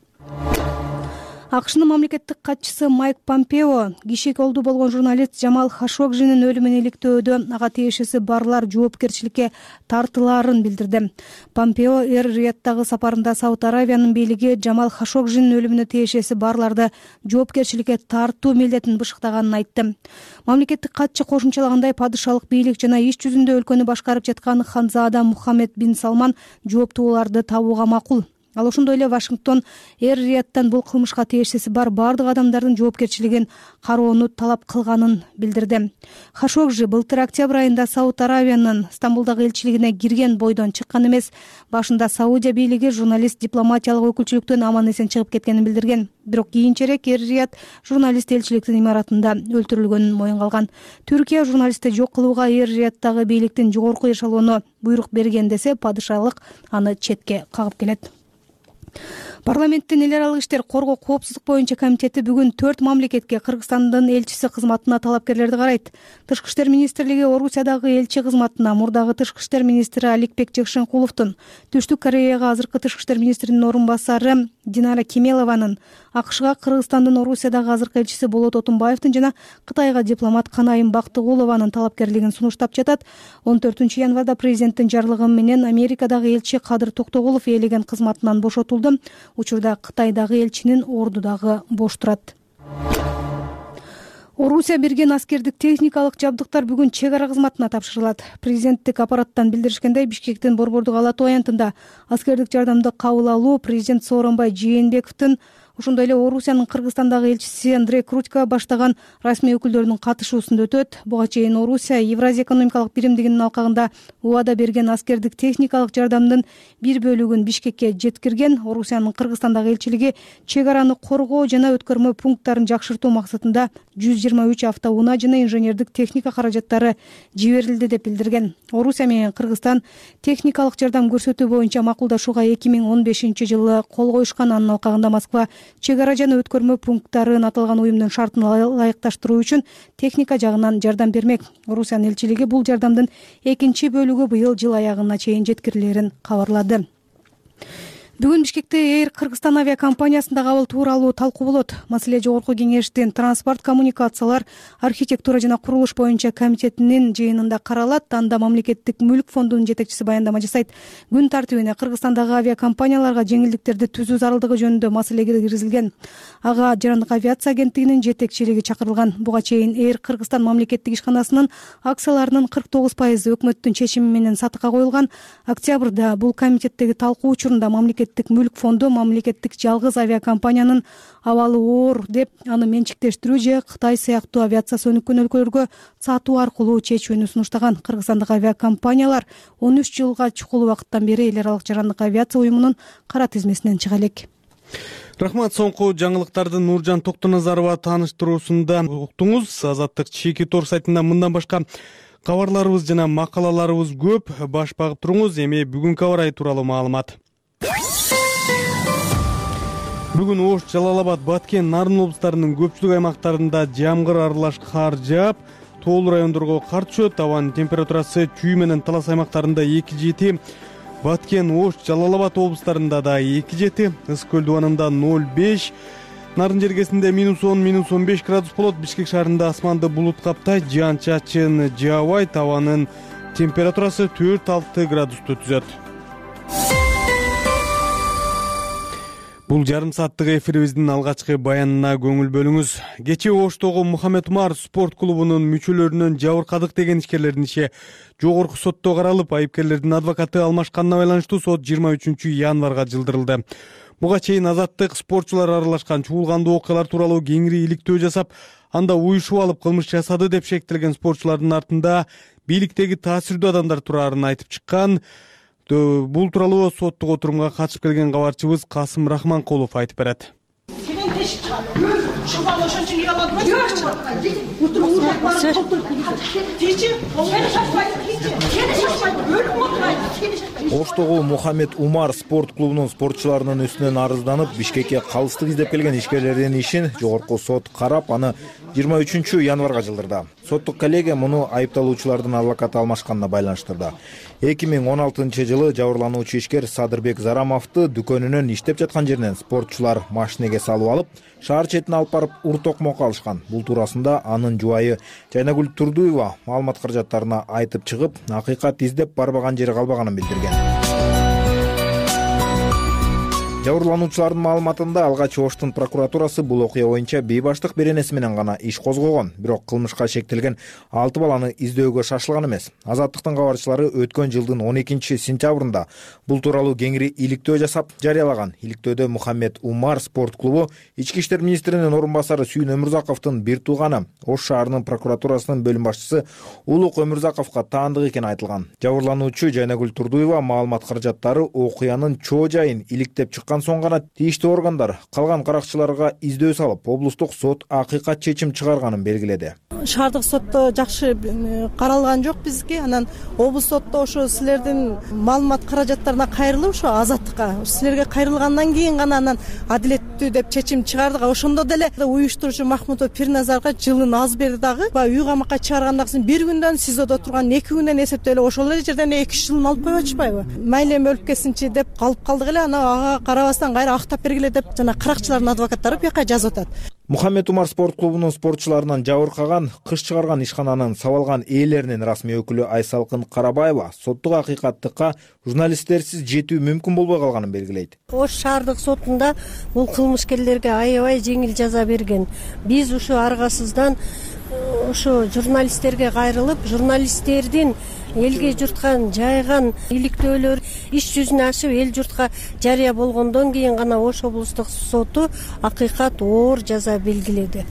АКШнын мамлекеттик катчысы Майк Помпео киши колдуу болгон журналист Жамал Хашогжинин өлүмүн иликтөөдө ага тиешеси барлар жоопкерчиликке тартылаарын билдирди. Помпео Эр-Рияddагы сапарында Сауд Аравиянын бийлиги Жамал Хашогжинин өлүмүнө тиешеси барларды жоопкерчиликке тартуу милдетин бышыктаганын айтты. Мамлекеттик катчы кошумчалагандай, падышалык бийлик жана иш жүзүндө өлкөнү башкарып жаткан ханзаада Мухаммед бин Салман жооптууларды табууга макул. Ал ошондой эле Вашингтон Эр-Рияддан бул кылмышка тиешеси бар бардык адамдардын жоопкерчилигин кароону талап кылганын билдирди. Хашогжи былтыр октябрь айында Сауд Аравиянын Стамбулдагы элчилигине кирген бойдон чыккан эмес. Башында Саудия бийлиги журналист дипломатиялык өкүлчүлүктөн аман эсен чыгып кеткенин билдирген. Бирок кийинчерээк Эр-Рияд журналист элчиликтин имаратында өлтүрүлгөнүн моюнга алган. Түркия журналистти жок кылууга Эр-Рияddагы бийликтин жогорку эшелону буйрук берген десе, падышалык аны четке кагып келет. Парламенттин эл аралык иштер коргоо коопсуздук боюнча комитети бүгүн төрт мамлекетке Кыргызстандын элчиси кызматына талапкерлерди карайт. Тышкы иштер министрлиги Орусиядагы элчи кызматына мурдагы тышкы иштер министри Аликбек Жакшенкуловдун, Түштүк Кореяга азыркы тышкы иштер министринин орун басары Динара Кемелованын, АКШга Кыргызстандын Орусиядагы азыркы элчиси Болот Отунбаевдин жана Кытайга дипломат Канайым Бактыгулованын талапкерлигин сунуштап жатат. он төртүнчү январда президенттин жарлыгы менен Америкадагы элчи Кадыр Токтогулов ээлеген кызматынан бошотулду. Учурда Кытайдагы элчинин орду дагы бош турат. Орусия берген аскердик техникалык жабдыктар бүгүн чек ара кызматына тапшырылат. Президенттик аппараттан билдиришкендей, Бишкектин Борбордук Ала Тоо аянтында аскердик жардамды кабыл алуу президент Сооронбай Жээнбековдун, ошондой эле Орусиянын Кыргызстандагы элчиси Андрей Крутько баштаган расмий өкүлдөрүнүн катышуусунда өтөт. Буга чейин Орусия Евразия экономикалык биримдигинин алкагында убада берген аскердик техникалык жардамдын бир бөлүгүн Бишкекке жеткирген. Орусиянын Кыргызстандагы элчилиги чек араны коргоо жана өткөрмө пункттарын жакшыртуу максатында жүз жыйырма үч автоунаа жана инженердик техника каражаттары жиберилди деп билдирген. Орусия менен Кыргызстан техникалык жардам көрсөтүү боюнча макулдашууга эки миң он бешинчи жылы кол коюшкан. Анын алкагында Москва чек ара жана өткөрмө пункттарын аталган уюмдун шартына ылайыкташтыруу үчүн техника жагынан жардам бермек. Орусиянын элчилиги бул жардамдын экинчи бөлүгү быйыл жыл аягына чейин жеткирилерин кабарлады. Бүгүн Бишкекте Эйр Кыргызстан авиакомпаниясында кабыл тууралуу талкуу болот. Маселе жогорку кеңештин транспорт, коммуникациялар, архитектура жана курулуш боюнча комитетинин жыйынында каралат. Анда мамлекеттик мүлк фондунун жетекчиси баяндама жасайт. Күн тартибине Кыргызстандагы авиакомпанияларга жеңилдиктерди түзүү зарылдыгы жөнүндө маселе киргизилген. Ага Жарандык авиация агенттигинин жетекчилиги чакырылган. Буга чейин Эйр Кыргызстан мамлекеттик ишканасынын акцияларынын кырк тогуз пайызы өкмөттүн чечими менен сатыкка коюлган. Октябрда бул комитеттеги талкуу учурунда мамлекет мүлк фонду мамлекеттик жалгыз авиакомпаниянын абалы оор деп аны менчиктештирүү же Кытай сыяктуу авиациясы өнүккөн өлкөлөргө сатуу аркылуу чечүүнү сунуштаган. Кыргызстандагы авиакомпаниялар он үч жылга чукул убакыттан бери эл аралык жарандык авиация уюмунун кара тизмесинен чыга элек. Рахмат. Соңку жаңылыктарды Нуржан Токтоназарова тааныштыруусунда уктуңуз. Азаттык чийки тор сайтында мындан башка кабарларыбыз жана макалаларыбыз көп. Баш багып туруңуз. Эми бүгүнкү аба ырайы тууралуу маалымат. Бүгүн Ош, Жалал-Абад, Баткен, Нарын облустарынын көпчүлүк аймактарында жамгыр аралаш кар жаап, тоолуу райондорго кар түшөт. Абанын температурасы Чүй менен Талас аймактарында эки жети, Баткен, Ош, Жалал-Абад облустарында да эки жети, Ысык көл дубанында ноль беш, Нарын жергесинде минус он, минус он беш градус болот. Бишкек шаарында асманды булут каптайт, жаан чачын жаабайт. Абанын температурасы төрт алты градусту түзөт. Бул жарым сааттык эфирибиздин алгачкы баянына көңүл бөлүңүз. Кечээ Оштогу Мухаммед Умар спорт клубунун мүчөлөрүнөн жабыркадык деген ишкерлердин иши жогорку сотто каралып, айыпкерлердин адвокаты алмашканына байланыштуу сот жыйырма үчүнчү январга жылдырылды. Буга чейин Азаттык спортчулар аралашкан чуулгандуу окуялар тууралуу кеңири иликтөө жасап, анда уюшуп алып кылмыш жасады деп шектелген спортчулардын артында бийликтеги таасирдүү адамдар турарын айтып чыккан. Бул тууралуу соттук отурумга катышып келген кабарчыбыз Касым Рахманкулов айтып берет. Оштогу Мухаммед Умар спорт клубунун спортчуларынын үстүнөн арызданып, Бишкекке калыстык издеп келген ишкерлердин ишин жогорку сот карап, аны жыйырма үчүнчү январга жылдырды. Соттук коллегия муну айыпталуучулардын адвокаты алмашканына байланыштырды. эки миң он алтынчы жылы жабырлануучу ишкер Садырбек Зарамовду дүкөнүнөн иштеп жаткан жеринен спортчулар машинеге салып алып, шаар четине алып барып ур-токмокко алышкан. Бул туурасында анын жубайы Жайнагүл Турдуева маалымат каражаттарына айтып чыгып, акыйкат издеп барбаган жери калбаганын билдирген. Жабырлануучулардын маалыматында алгач Оштун прокуратурасы бул окуя боюнча бейбаштык беренеси менен гана иш козгогон, бирок кылмышка шектелген алты баланы издөөгө шашылган эмес. Азаттыктын кабарчылары өткөн жылдын он экинчи сентябрында бул тууралуу кеңири иликтөө жасап жарыялаган. Иликтөөдө Мухаммед Умар спорт клубу ички иштер министринин орун басары Сүйүн Өмүрзаковдун бир тууганы, Ош шаарынын прокуратурасынын бөлүм башчысы Улук Өмүрзаковго таандык экени айтылган. Жабырлануучу Жайнагүл Турдуева маалымат каражаттары окуянын чоо жайын иликтеп чыккан чыккан соң гана тийиштүү органдар калган каракчыларга издөө салып, облустук сот акыйкат чечим чыгарганын белгиледи. Шаардык сотто жакшы каралган жок бизге. Анан облус сотто ошо силердин маалымат каражаттарына кайрылып, ошо азаттыкка силерге кайрылгандан кийин гана анан адилеттүү деп чечим чыгардык. Ошондо деле уюштуруучу Махмудов Пирназарга жылын аз берди дагы. Баягы үй камакка чыгаргандан кийин бир күндөн СИЗОдо турган, эки күндөн эсептеп эле ошол эле жерден эки үч жылын алып коюп атышпайбы? Мейли эми өлүп кетсинчи деп калып калдык эле. Анан ага карабастан кайра актап бергиле деп жана каракчылардын адвокаттары бияка жазып атат. Мухаммед Умар спорт клубунун спортчуларынан жабыркаган, кыш чыгарган ишкананын сабалган ээлеринин расмий өкүлү Айсалкын Карабаева соттук акыйкаттыкка журналисттерсиз жетүү мүмкүн болбой калганын белгилейт. Ош шаардык сотунда бул кылмышкерлерге аябай жеңил жаза берген. Биз ушу аргасыздан ошо журналисттерге кайрылып, журналисттердин элге журтка жайган иликтөөлөр иш жүзүнө ашып эл журтка жарыя болгондон кийин гана Ош облустук соту акыйкат оор жаза белгиледи.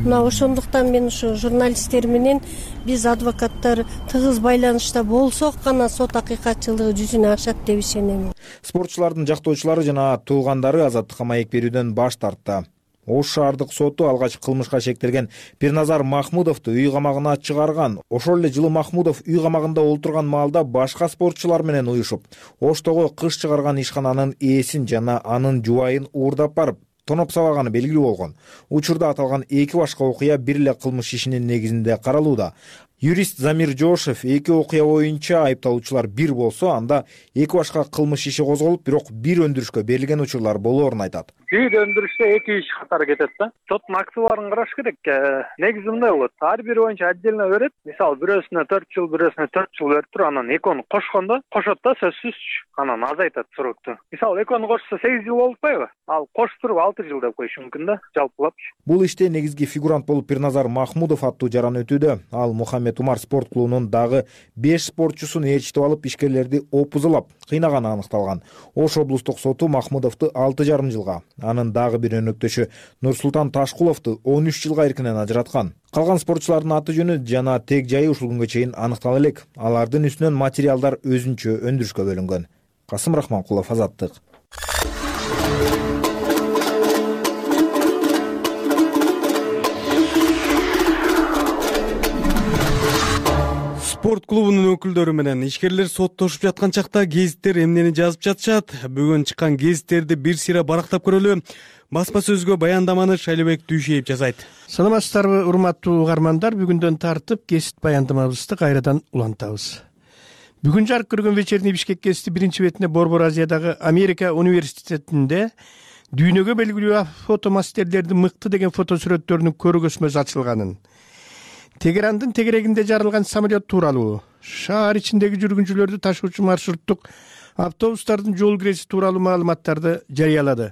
Мына ошондуктан мен ушу журналисттер менен биз адвокаттар тыгыз байланышта болсок гана сот акыйкатчылыгы жүзүнө ашат деп ишенем. Спортчулардын жактоочулары жана туугандары азаттыкка маек берүүдөн баш тартты. Ош шаардык соту алгач кылмышка шектелген Пирназар Махмудовду үй камагына чыгарган. Ошол эле жылы Махмудов үй камагында олтурган маалда башка спортчулар менен уюшуп, Оштогу кыш чыгарган ишкананын ээсин жана анын жубайын уурдап барып, тоноп сабаганы белгилүү болгон. Учурда аталган эки башка окуя бир эле кылмыш ишинин негизинде каралууда. Юрист Замир Жошев эки окуя боюнча айыпталуучулар бир болсо, анда эки башка кылмыш иши козголуп, бирок бир өндүрүшкө берилген учурлар болоорун айтат. Бир өндүрүштө эки иш катары кетет да. Соттун актыбарын караш керек. Негизи мындай болот. Ар бири боюнча отдельно берет. Мисалы, бирөөсүнө төрт жыл, бирөөсүнө төрт жыл берип туруп, анан экөөнү кошкондо кошот да, сөзсүз анан азайтат срокту. Мисалы, экөөнү кошсо сегиз жыл болуппайбы? Ал коштуруп алты жыл деп коюшу мүмкүн да, жалпылап. Бул иште негизги фигурант болуп Пирназар Махмудов аттуу жаран өтүүдө. Ал Мухаммед Умар спорт клубунун дагы беш спортчусун ээрчитип алып, ишкерлерди опузулап кыйнаганы аныкталган. Ош облустук соту Махмудовду алты жарым жылга, анын дагы бир өнөктөшү Нурсултан Ташкуловду он үч жылга эркинен ажыраткан. Калган спортчулардын аты жөнү жана тег жайы ушул күнгө чейин аныктала элек. Алардын үстүнөн материалдар өзүнчө өндүрүшкө бөлүнгөн. Касым Рахманкулов, Азаттык. Спорт клубунун өкүлдөрү менен ишкерлер соттошуп жаткан чакта гезиттер эмнени жазып жатышат? Бүгүн чыккан гезиттерди бир сыйра барактап көрөлү. Басма сөзгө баяндаманы Шайлебек Дүйшеев жасайт. Саламатсыздарбы, урматтуу угармандар? Бүгүндөн тартып гезит баяндамабызды кайрадан улантабыз. Бүгүн жарык көргөн вечерний Бишкек гезити биринчи бетинде Борбор Азиядагы Америка университетинде дүйнөгө белгилүү фотомастерлердин мыкты деген фотосүрөттөрүнүн көргөзмөсү ачылганын, Тегерандын тегерегинде жарылган самолет тууралуу, шаар ичиндеги жүргүнчүлөрдү ташуучу маршруттук автобустардын жол киреси тууралуу маалыматтарды жарыялады.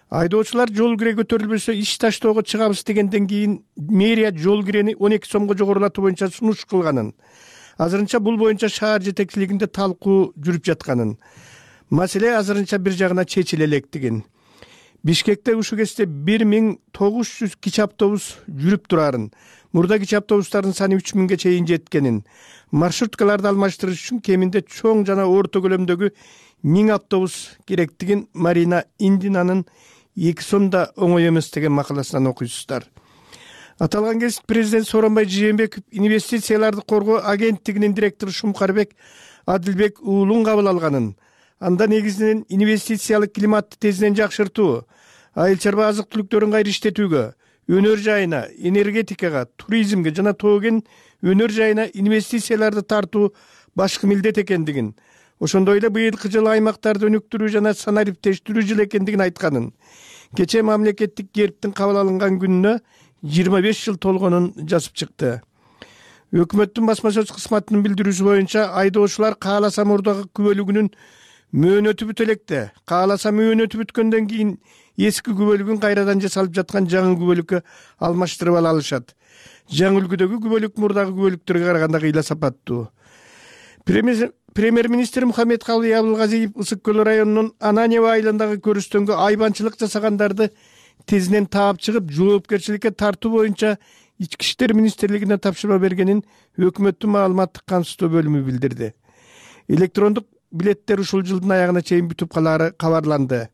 Айдоочулар жол кире көтөрүлбөсө иш таштоого чыгабыз дегенден кийин мэрия жол кирени он эки сомго жогорулатуу боюнча сунуш кылганын, азырынча бул боюнча шаар жетекчилигинде талкуу жүрүп жатканын, маселе азырынча бир жагына чечиле электигин, Бишкекте ушул кезде бир миң тогуз жүз кичи автобус жүрүп турарын, мурда кичи автобустардын саны үч миңге чейин жеткенин, маршруткаларды алмаштырыш үчүн кеминде чоң жана орто көлөмдөгү миң автобус керектигин Марина Индинанын эки сомда оңой эмес деген макаласынан окуйсуздар. Аталган гезит президент Сооронбай Жээнбеков инвестицияларды коргоо агенттигинин директору Шумкарбек Адилбек уулун кабыл алганын, анда негизинен инвестициялык климатты тезинен жакшыртуу, айыл чарба азык түлүктөрүн кайра иштетүүгө, өнөр жайына, энергетикага, туризмге жана тоо кен өнөр жайына инвестицияларды тартуу башкы милдет экендигин, ошондой эле быйылкы жылы аймактарды өнүктүрүү жана санариптештирүү жылы экендигин айтканын, кечээ мамлекеттик гербтин кабыл алынган күнүнө жыйырма беш жыл толгонун жазып чыкты. Өкмөттүн басма сөз кызматынын билдирүүсү боюнча айдоочулар кааласа мурдагы күбөлүгүнүн мөөнөтү бүтө электе, кааласа мөөнөтү бүткөндөн кийин эски күбөлүгүн кайрадан жасалып жаткан жаңы күбөлүккө алмаштырып ала алышат. Жаңы үлгүдөгү күбөлүк мурдагы күбөлүктөргө караганда кыйла сапаттуу. Премьер-министр Мухаммед Калый Абылгазиев Ысык көл районунун Ананьево айылындагы көрүстөнгө айбанчылык жасагандарды тезинен таап чыгып, жоопкерчиликке тартуу боюнча Ички иштер министрлигине тапшырма бергенин өкмөттүн маалыматтык камсыздоо бөлүмү билдирди. Электрондук билеттер ушул жылдын аягына чейин бүтүп калаары кабарланды.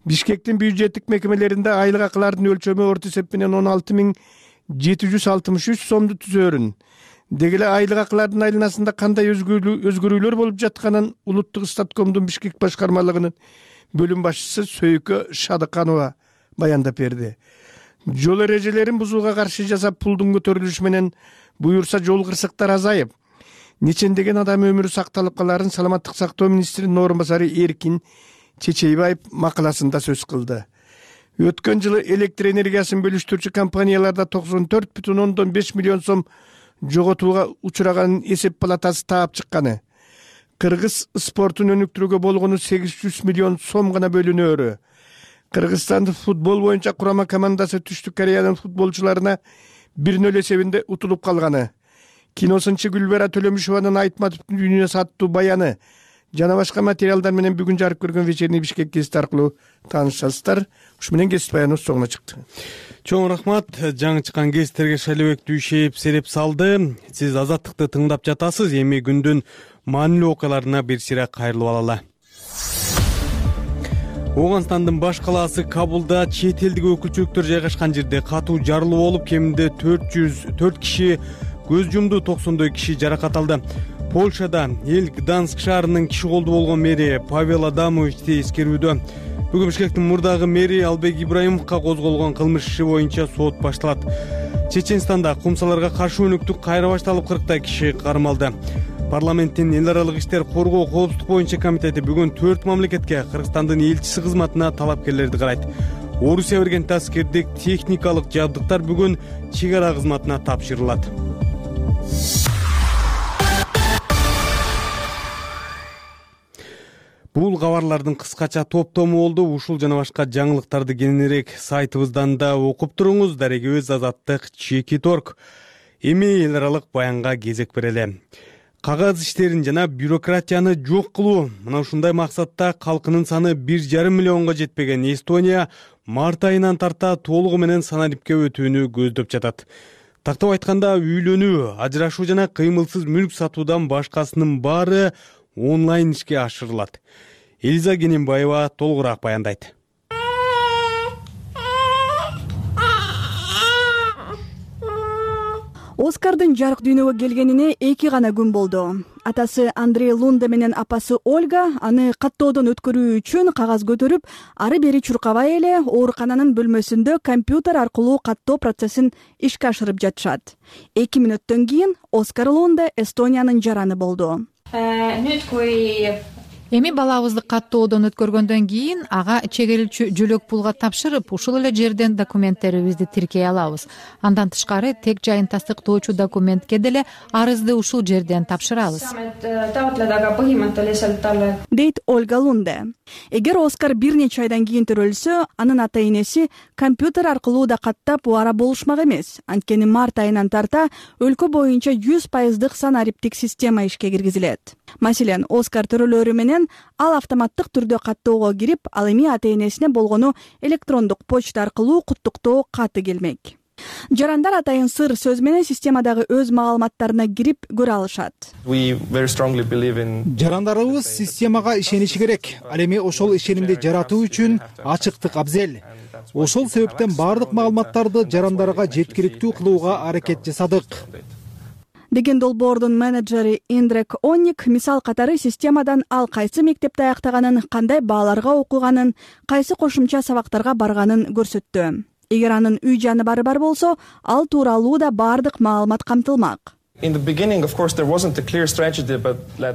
Бишкектин бюджеттик мекемелеринде айлык акылардын өлчөмү орто эсеп менен он алты миң жети жүз алтымыш үч сомду түзөөрүн. Деги эле айлык акылардын айланасында кандай өзгөрүүлөр болуп жатканын улуттук статкомдун Бишкек башкармалыгынын бөлүм башчысы Сөйкө Шадыканова баяндап берди. Жол эрежелерин бузууга каршы жасап пулдун көтөрүлүшү менен буюрса жол кырсыктары азайып, нечендеген адам өмүрү сакталып каларын саламаттык сактоо министринин орун басары Эркин Чечейбаев макаласында сөз кылды. Өткөн жылы электр энергиясын бөлүштүрүүчү компанияларда токсон төрт бүтүн ондон беш миллион сом жоготууга учураганын эсеп палатасы таап чыкканы. Кыргыз спортун өнүктүрүүгө болгону сегиз жүз миллион сом гана бөлүнөөрү. Кыргызстандын футбол боюнча курама командасы Түштүк Кореянын футболчуларына бир нөл эсебинде утулуп калганы. Киносынчы Гүлбара Төлөмүшованын Айтматовдун үйүнө саттуу баяны жана башка материалдар менен бүгүн жарык көргөн вечерний Бишкек гезити аркылуу таанышасыздар. Ушу менен гезит баяныбыз соңуна чыкты. Чоң рахмат. Жаңы чыккан гезиттерге Шайлыбек Дүйшеев сереп салды. Сиз Азаттыкты тыңдап жатасыз. Эми күндүн маанилүү окуяларына бир сыйра кайрылып алалы. Ооганстандын баш калаасы Кабулда чет элдик өкүлчүлүктөр жайгашкан жерде катуу жарылуу болуп, кеминде төрт жүз төрт киши көз жумду, токсондой киши жаракат алды. Польшада эл Гданск шаарынын киши колдуу болгон мэри Павел Адамовичти эскерүүдө. Бүгүн Бишкектин мурдагы мэри Албек Ибраимовго козголгон кылмыш иши боюнча сот башталат. Чеченстанда кумсаларга каршы өнүктүк кайра башталып, кырктай киши кармалды. Парламенттин эл аралык иштер коргоо коопсуздук боюнча комитети бүгүн төрт мамлекетке Кыргызстандын элчиси кызматына талапкерлерди карайт. Орусия берген таскердик техникалык жабдыктар бүгүн чек ара кызматына тапшырылат. Бул кабарлардын кыскача топтому болду. Ушул жана башка жаңылыктарды кененирээк сайтыбыздан да окуп туруңуз. Дарегибиз Азаттык чекит орг. Эми эл аралык баянга кезек берели. Кагаз иштерин жана бюрократияны жок кылуу. Мына ушундай максатта калкынын саны бир жарым миллионго жетпеген Эстония март айынан тарта толугу менен санарипке өтүүнү көздөп жатат. Тактап айтканда, үйлөнүү, ажырашуу жана кыймылсыз мүлк сатуудан башкасынын баары онлайн ишке ашырылат. Элиза Кененбаева толугураак баяндайт. Оскардын жарык дүйнөгө келгенине эки гана күн болду. Атасы Андрей Лунде менен апасы Ольга аны каттоодон өткөрүү үчүн кагаз көтөрүп, ары бери чуркабай эле оорукананын бөлмөсүндө компьютер аркылуу каттоо процессин ишке ашырып жатышат. эки мүнөттөн кийин Оскар Лунде Эстониянын жараны болду. Эми балабызды каттоодон өткөргөндөн кийин ага чегелчү жөлөк пулга тапшырып, ушул эле жерден документтерибизди тиркей алабыз. Андан тышкары тег жайын тастыктоочу документке деле арызды ушул жерден тапшырабыз. Дейт Ольга Лунде. Эгер Оскар бир нече айдан кийин төрөлсө, анын ата энеси компьютер аркылуу да каттап убара болушмак эмес. Анткени март айынан тарта өлкө боюнча жүз пайыздык санариптик система ишке киргизилет. Маселен, Оскар төрөлөрү менен ал автоматтык түрдө каттоого кирип, ал эми ата энесине болгону электрондук почта аркылуу куттуктоо каты келмек. Жарандар атайын сыр сөз менен системадагы өз маалыматтарына кирип көрө алышат. Жарандарыбыз системага ишениши керек. Ал эми ошол ишенимди жаратуу үчүн ачыктык абзел. Ошол себептен бардык маалыматтарды жарандарга жеткиликтүү кылууга аракет жасадык. Деген долбоордун менеджери Индрек Онник мисал катары системадан ал кайсы мектепте аяктаганын, кандай бааларга окуганын, кайсы кошумча сабактарга барганын көрсөттү. Эгер анын үй жаны бары бар болсо, ал тууралуу да бардык маалымат камтылмак.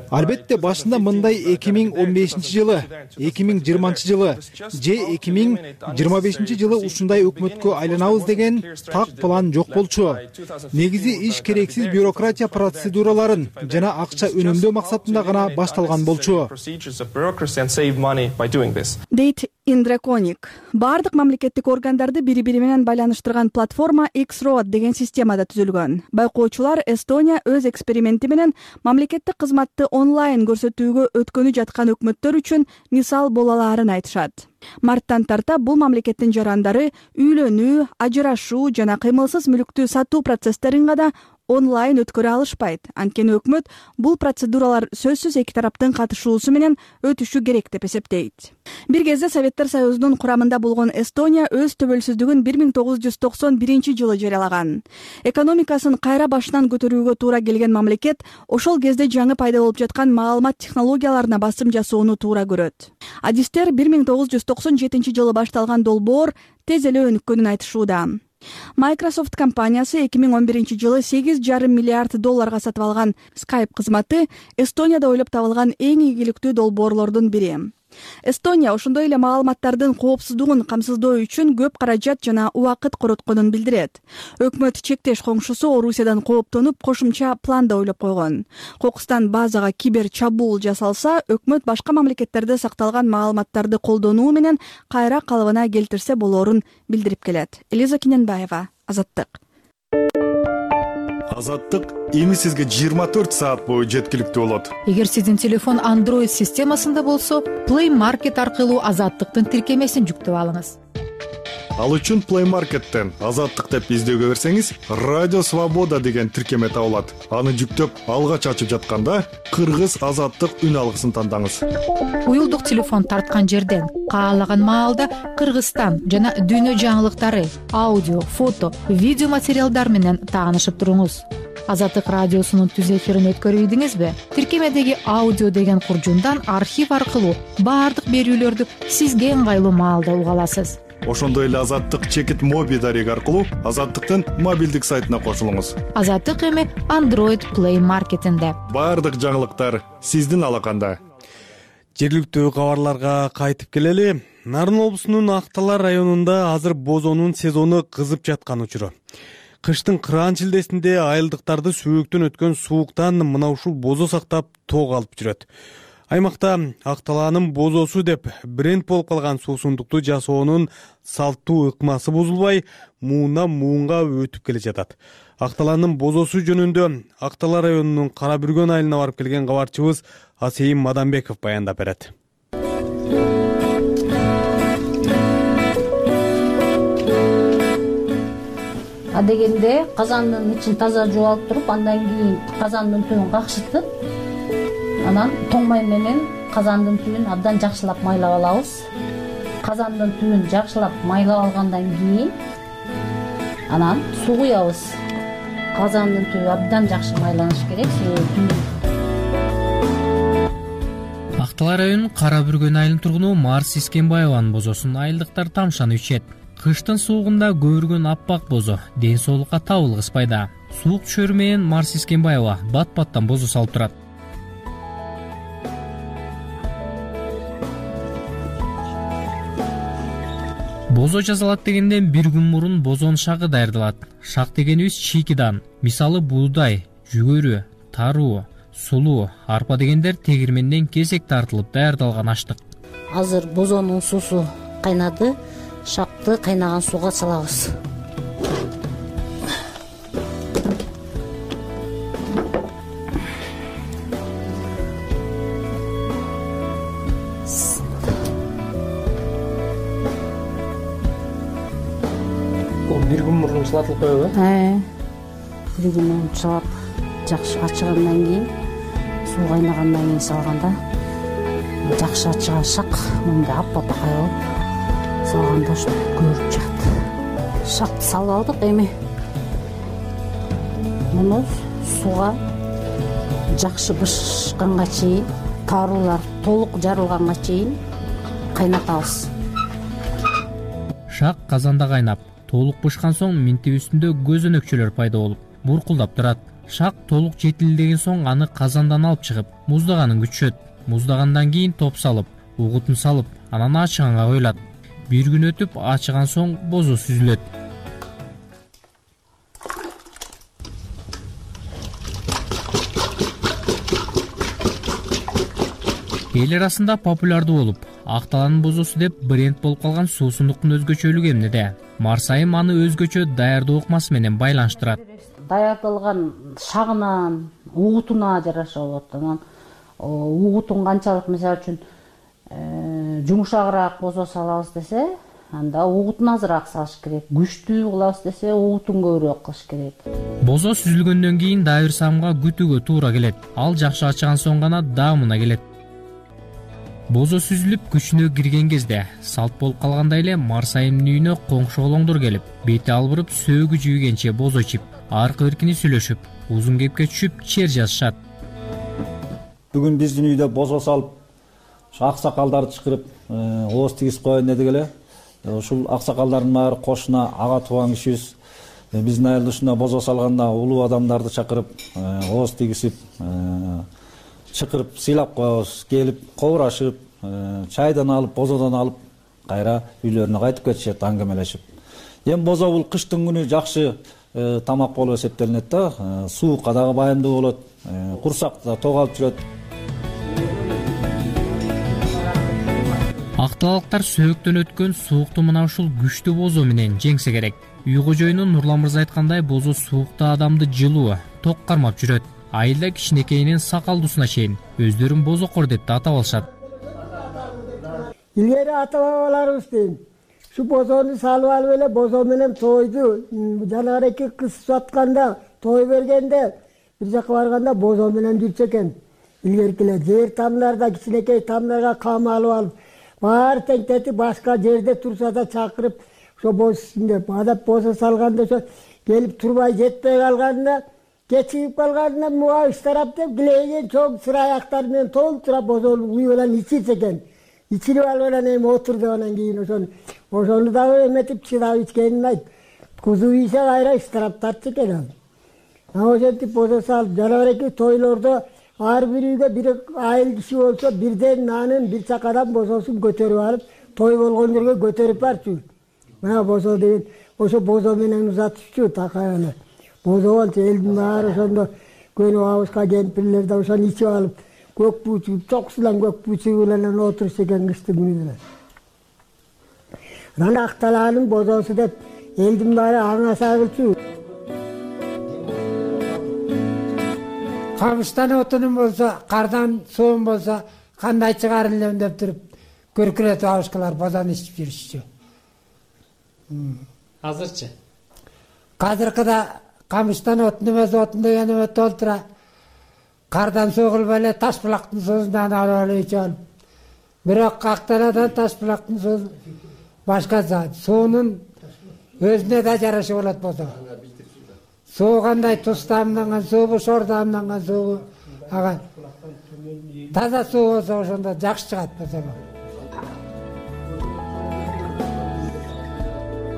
Албетте башында мындай эки миң он бешинчи жылы, эки миң жыйырманчы жылы же эки миң жыйырма бешинчи жылы ушундай өкмөткө айланабыз деген так план жок болчу. Негизи иш керексиз бюрократия процедураларын жана акча үнөмдөө максатында гана башталган болчу. Дейт Индреконик. Бардык мамлекеттик органдарды бири-бири менен байланыштырган платформа X-Road деген системада түзүлгөн. Байкоочулар Эстония өз эксперименти менен мамлекеттик кызматты онлайн көрсөтүүгө өткөнү жаткан өкмөттөр үчүн мисал боло алаарын айтышат. Марттан тарта бул мамлекеттин жарандары үйлөнүү, ажырашуу жана кыймылсыз мүлүктү сатуу процесстерин гана онлайн өткөрө алышпайт. Анткени өкмөт бул процедуралар сөзсүз эки тараптын катышуусу менен өтүшү керек деп эсептейт. Бир кезде Советтер Союзунун курамында болгон Эстония өз төбөлсүздүгүн бир миң тогуз жүз токсон биринчи жылы жарыялаган. Экономикасын кайра башынан көтөрүүгө туура келген мамлекет ошол кезде жаңы пайда болуп жаткан маалымат технологияларына басым жасоону туура көрөт. Адистер бир миң тогуз жүз токсон жетинчи жылы башталган долбоор тез эле өнүккөнүн айтышууда. Microsoft компаниясы эки миң он биринчи жылы сегиз жарым миллиард долларга сатып алган Skype кызматы Эстонияда ойлоп табылган эң ийгиликтүү долбоорлордун бири. Эстония ошондой эле маалыматтардын коопсуздугун камсыздоо үчүн көп каражат жана убакыт коротконун билдирет. Өкмөт чектеш коңшусу Орусиядан кооптонуп, кошумча план да ойлоп койгон. Кокустан базага кибер чабуул жасалса, өкмөт башка мамлекеттерде сакталган маалыматтарды колдонуу менен кайра калыбына келтирсе болоорун билдирип келет. Элиза Киненбаева, Азаттык. Азаттык эми сизге жыйырма төрт саат бою жеткиликтүү болот. Эгер сиздин телефон Android системасында болсо, Play Market аркылуу Азаттыктын тиркемесин жүктөп алыңыз. Ал үчүн Play Market'тен Азаттык деп издөөгө берсеңиз, Радио Свобода деген тиркеме табылат. Аны жүктөп, алгач ачып жатканда Кыргыз Азаттык үн алгысын тандаңыз. Уюлдук телефон тарткан жерден каалаган маалда Кыргызстан жана дүйнө жаңылыктары, аудио, фото, видео материалдар менен таанышып туруңуз. Азаттык радиосунун түз эфирин өткөрүйдүңүзбү? Тиркемедеги аудио деген куржундан архив аркылуу баардык берүүлөрдү сизге ыңгайлуу маалда уга аласыз. Ошондой эле Азаттык чекит моби дареги аркылуу Азаттыктын мобилдик сайтына кошулуңуз. Азаттык эми Android Play Market'инде. Баардык жаңылыктар сиздин алаканда. Жергиликтүү кабарларга кайтып келели. Нарын облусунун Актала районунда азыр бозонун сезону кызып жаткан учуру. Кыштын кыраан шилдесинде айылдыктарды сөөктөн өткөн сууктан мына ушул бозо сактап тоок алып жүрөт. Аймакта Акталаанын бозосу деп бренд болуп калган суусундукту жасоонун салттуу ыкмасы бузулбай, муундан муунга өтүп келе жатат. Акталаанын бозосу жөнүндө Актала районунун Кара Бүргөн айылына барып келген кабарчыбыз Асейим Маданбеков баяндап берет. Адегенде казандын ичин таза жууп алып туруп, андан кийин казандын түбүн какшытып, анан тоң май менен казандын түбүн абдан жакшылап майлап алабыз. Казандын түбүн жакшылап майлап алгандан кийин анан суу куябыз. Казандын түбү абдан жакшы майланыш керек. Актала районунун Кара Бүргөн айылынын тургуну Марс Искенбаеванын бозосун айылдыктар тамшанып ичет. Кыштын суугунда көбүргөн аппак бозо ден соолукка табылгыс пайда. Суук түшөрү менен Марс Искенбаева бат-баттан бозо салып турат. Бозо жасалат дегенден бир күн мурун бозонун шагы даярдалат. Шак дегенибиз чийкидан, мисалы буудай, жүгөрү, таруу, сулуу, арпа дегендер тегирменден кесек тартылып даярдалган аштык. Азыр бозонун суусу кайнады, шакты кайнаган сууга салабыз. Бир күн мурун чылатылып коебу? Э. Бир күн мурун чылап, жакшы ачыгандан кийин, суу кайнагандан кийин салганда жакшы ачыган шак, мындай аппапакай болуп салганда ошо көрүп чыгат. Шакты салып алдык, эми муну сууга жакшы бышканга чейин, таруулар толук жарылганга чейин кайнатабыз. Шак казанда кайнап, толук бышкан соң минтип үстүндө көзөнөкчөлөр пайда болуп, буркулдап турат. Шак толук жетилдеген соң аны казандан алып чыгып, муздаганын күтүшөт. Муздагандан кийин топ салып, угутун салып, анан ачыганга коюлат. Бир күн өтүп, ачыган соң бозо сүзүлөт. Эл арасында популярдуу болуп, Акталаанын бозосу деп бренд болуп калган суусундуктун өзгөчөлүгү эмнеде? Марсайым аны өзгөчө даярдоо ыкмасы менен байланыштырат. Даярдалган шагынан, угутуна жараша болот. Анан угутун канчалык, мисалы үчүн жумшагыраак бозо салабыз десе, анда угутун азыраак салыш керек. Күчтүү кылабыз десе, угутун көбүрөөк кылыш керек. Бозо сүзүлгөндөн кийин дагы бир самга күтүүгө туура келет. Ал жакшы ачыган соң гана даамына келет. Бозо сүзүлүп күчүнө кирген кезде салт болуп калгандай эле Марсайымдын үйүнө коңшу колоңдор келип, бети албырып, сөөгү жүйгенче бозо ичип, аркы беркини сүйлөшүп, узун кепке түшүп, чер жазышат. Бүгүн биздин үйдө бозо салып, аксакалдарды чакырып, ооз тигиз коеюн дедик эле. Ушул аксакалдардын баары кошуна ага тууган кишибиз. Биздин айыл ушундай бозо салганда улуу адамдарды чакырып, ооз тигизип, чакырып сыйлап коебуз. Келип, кобурашып, чайдан алып, бозодон алып, кайра үйлөрүнө кайтып кетишет, аңгемелешип. Эми бозо бул кыштын күнү жакшы тамак болуп эсептелинет да. Суукка дагы байымдуу болот, курсакта ток алып жүрөт. Акталыктар сөөктөн өткөн суукту мына ушул күчтүү бозо менен жеңсе керек. Үй кожоюну Нурлан мырза айткандай, бозо суукта адамды жылуу, ток кармап жүрөт. Айылда кичинекейинен сакалдуусуна чейин өздөрүн бозокор деп да атап алышат. Илгери ата бабаларыбыз дейм, ушу бозону салып алып эле бозо менен тойду, жанагы эки кыз сатканда, той бергенде, бир жака барганда бозо менен жүрчү экен. Илгеркилер жер тамдарда кичинекей тамдарга кам алып алып, баары теңтетип башка жерде турса да чакырып, ошо боз деп адап бозо салганда ошо келип турбай жетпей калганда, кечигип калганда муга ыштарап деп килейген чоң сыра аяктар менен толтура бозону үй менен ичирсе экен. Ичирип алып эле эми отур деп анан кийин ошону ошону дагы эметип чыдап ичкенин айтып, кузу ийсе кайра ыштарап тартчу экен ал. А ошентип бозо салып, жана эки тойлордо ар бир үйгө бир айыл киши болсо бирден нанын бир чакадан бозосун көтөрүп алып, той болгон жерге көтөрүп барчу. Мына бозо деген ошо бозо менен узатышчу такай эле. Бозо болчу элдин баары ошондо көнүп абыска кемпирлер да ошону ичип алып, көк бүүчү, чокусулан көк бүүчү менен отурчу экен кыштын күнү. Анан Акталаанын бозосу деп элдин баары аңаса кылчу. Камыштан отунум болсо, кардан суум болсо, кандай чыгарын элем деп туруп, көркүрөтүп абышкалар бозону ичип жүрүшчү. Азырчы? Азыркыда камыштан отун эмес, отун деген эме толтура. Кардан суу кылбай эле таш булактын суусунан алып эле ичип алып. Бирок Акталаадан таш булактын суусу башкача. Суунун өзүнө да жарашы болот бозо. Суу кандай туз таамданган суубу, шор таамданган суубу, ага таза суу болсо ошондо жакшы чыгат бозо.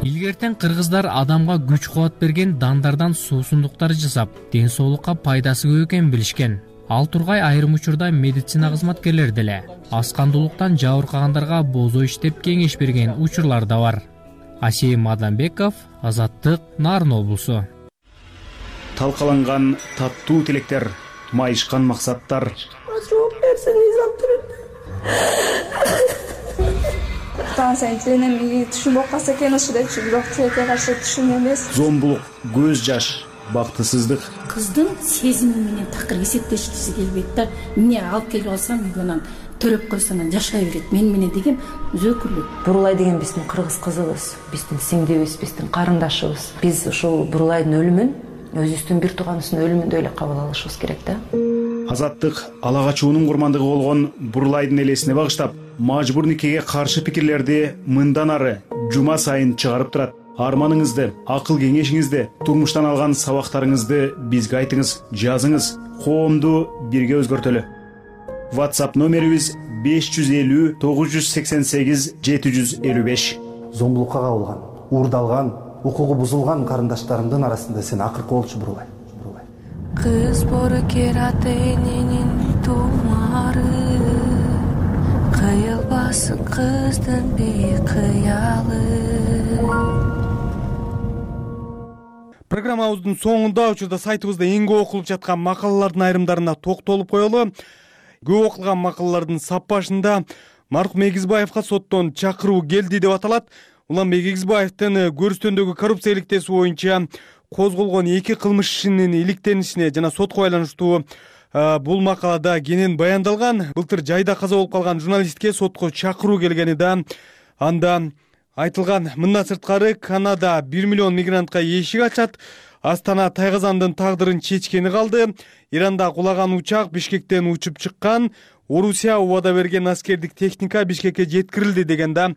Илгертен кыргыздар адамга күч кубат берген дандардан суусундуктар жасап, ден соолукка пайдасы көп экенин билишкен. Ал тургай айрым учурда медицина кызматкерлери деле аскандуулуктан жабыркагандарга бозо иштеп кеңеш берген учурлар да бар. Асейим Адамбеков, Азаттык, Нарын облусу. Талкаланган таттуу тилектер, майышкан максаттар. Жооп берсеңиз антырып. Таң сайын тиленем, түшүнүп калса экен ушу депчи, бирок тилекке каршы түшүн эмес. Зомбулук, көз жаш, бактысыздык. Кыздын сезими менен такыр эсептешкиси келбейт да. Эмне алып келип алсам, үйгө төрөп койсо анан жашай берет. Мен менен деген өзөкүрлүк. Бурулай деген биздин кыргыз кызыбыз, биздин сиңдибиз, биздин карындашыбыз. Биз ушул Бурулайдын өлүмүн өзүбүздүн бир тууганыбыздын өлүмүндөй эле кабыл алышыбыз керек да. Азаттык ала качуунун курмандыгы болгон Бурулайдын элесине багыштап, мажбур никеге каршы пикирлерди мындан ары жума сайын чыгарып турат. Арманыңызды, акыл кеңешиңизди, турмуштан алган сабактарыңызды бизге айтыңыз, жазыңыз. Коомду бирге өзгөртөлү. WhatsApp номерибиз беш жүз элүү тогуз жүз сексен сегиз жети жүз элүү беш. Зомбулукка кабылган, уурдалган, укугу бузулган карындаштарымдын арасында сен акыркы болчу Бурулай. Кыз боркерат эненин тумары, кыйылбасын кыздын бейкыялы. Программабыздын соңунда учурда сайтыбызда эң көп окулуп жаткан макалалардын айрымдарына токтолуп коелу. Көп окулган макалалардын саппашында маркум Эгизбаевга соттон чакыруу келди деп аталат. Уланбек Эгизбаевдин Көрүстөндөгү коррупция иликтеси боюнча козголгон эки кылмыш ишинин иликтенишине жана сотко байланыштуу бул макалада кенен баяндалган. Былтыр жайда каза болуп калган журналистке сотко чакыруу келгени да анда айтылган. Мындан сырткары Канада бир миллион мигрантка эшик ачат. Астана Тайгазандын тагдырын чечкени калды. Иранда кулаган учак Бишкектен учуп чыккан. Орусия убада берген аскердик техника Бишкекке жеткирилди деген да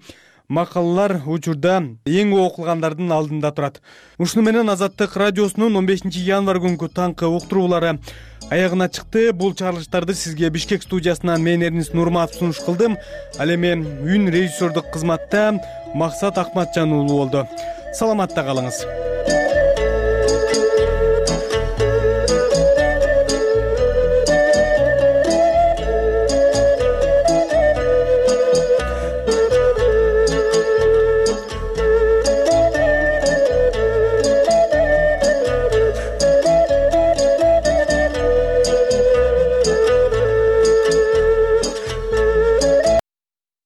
макалалар учурда эң окулгандардын алдында турат. Ушуну менен Азаттык радиосунун он бешинчи январь күнкү таңкы уктуруулары аягына чыкты. Бул чыгарылыштарды сизге Бишкек студиясынан мен Эрнис Нурматов сунуш кылдым. Ал эми үн режиссердук кызматта Максат Акматжан уулу болду. Саламатта калыңыз.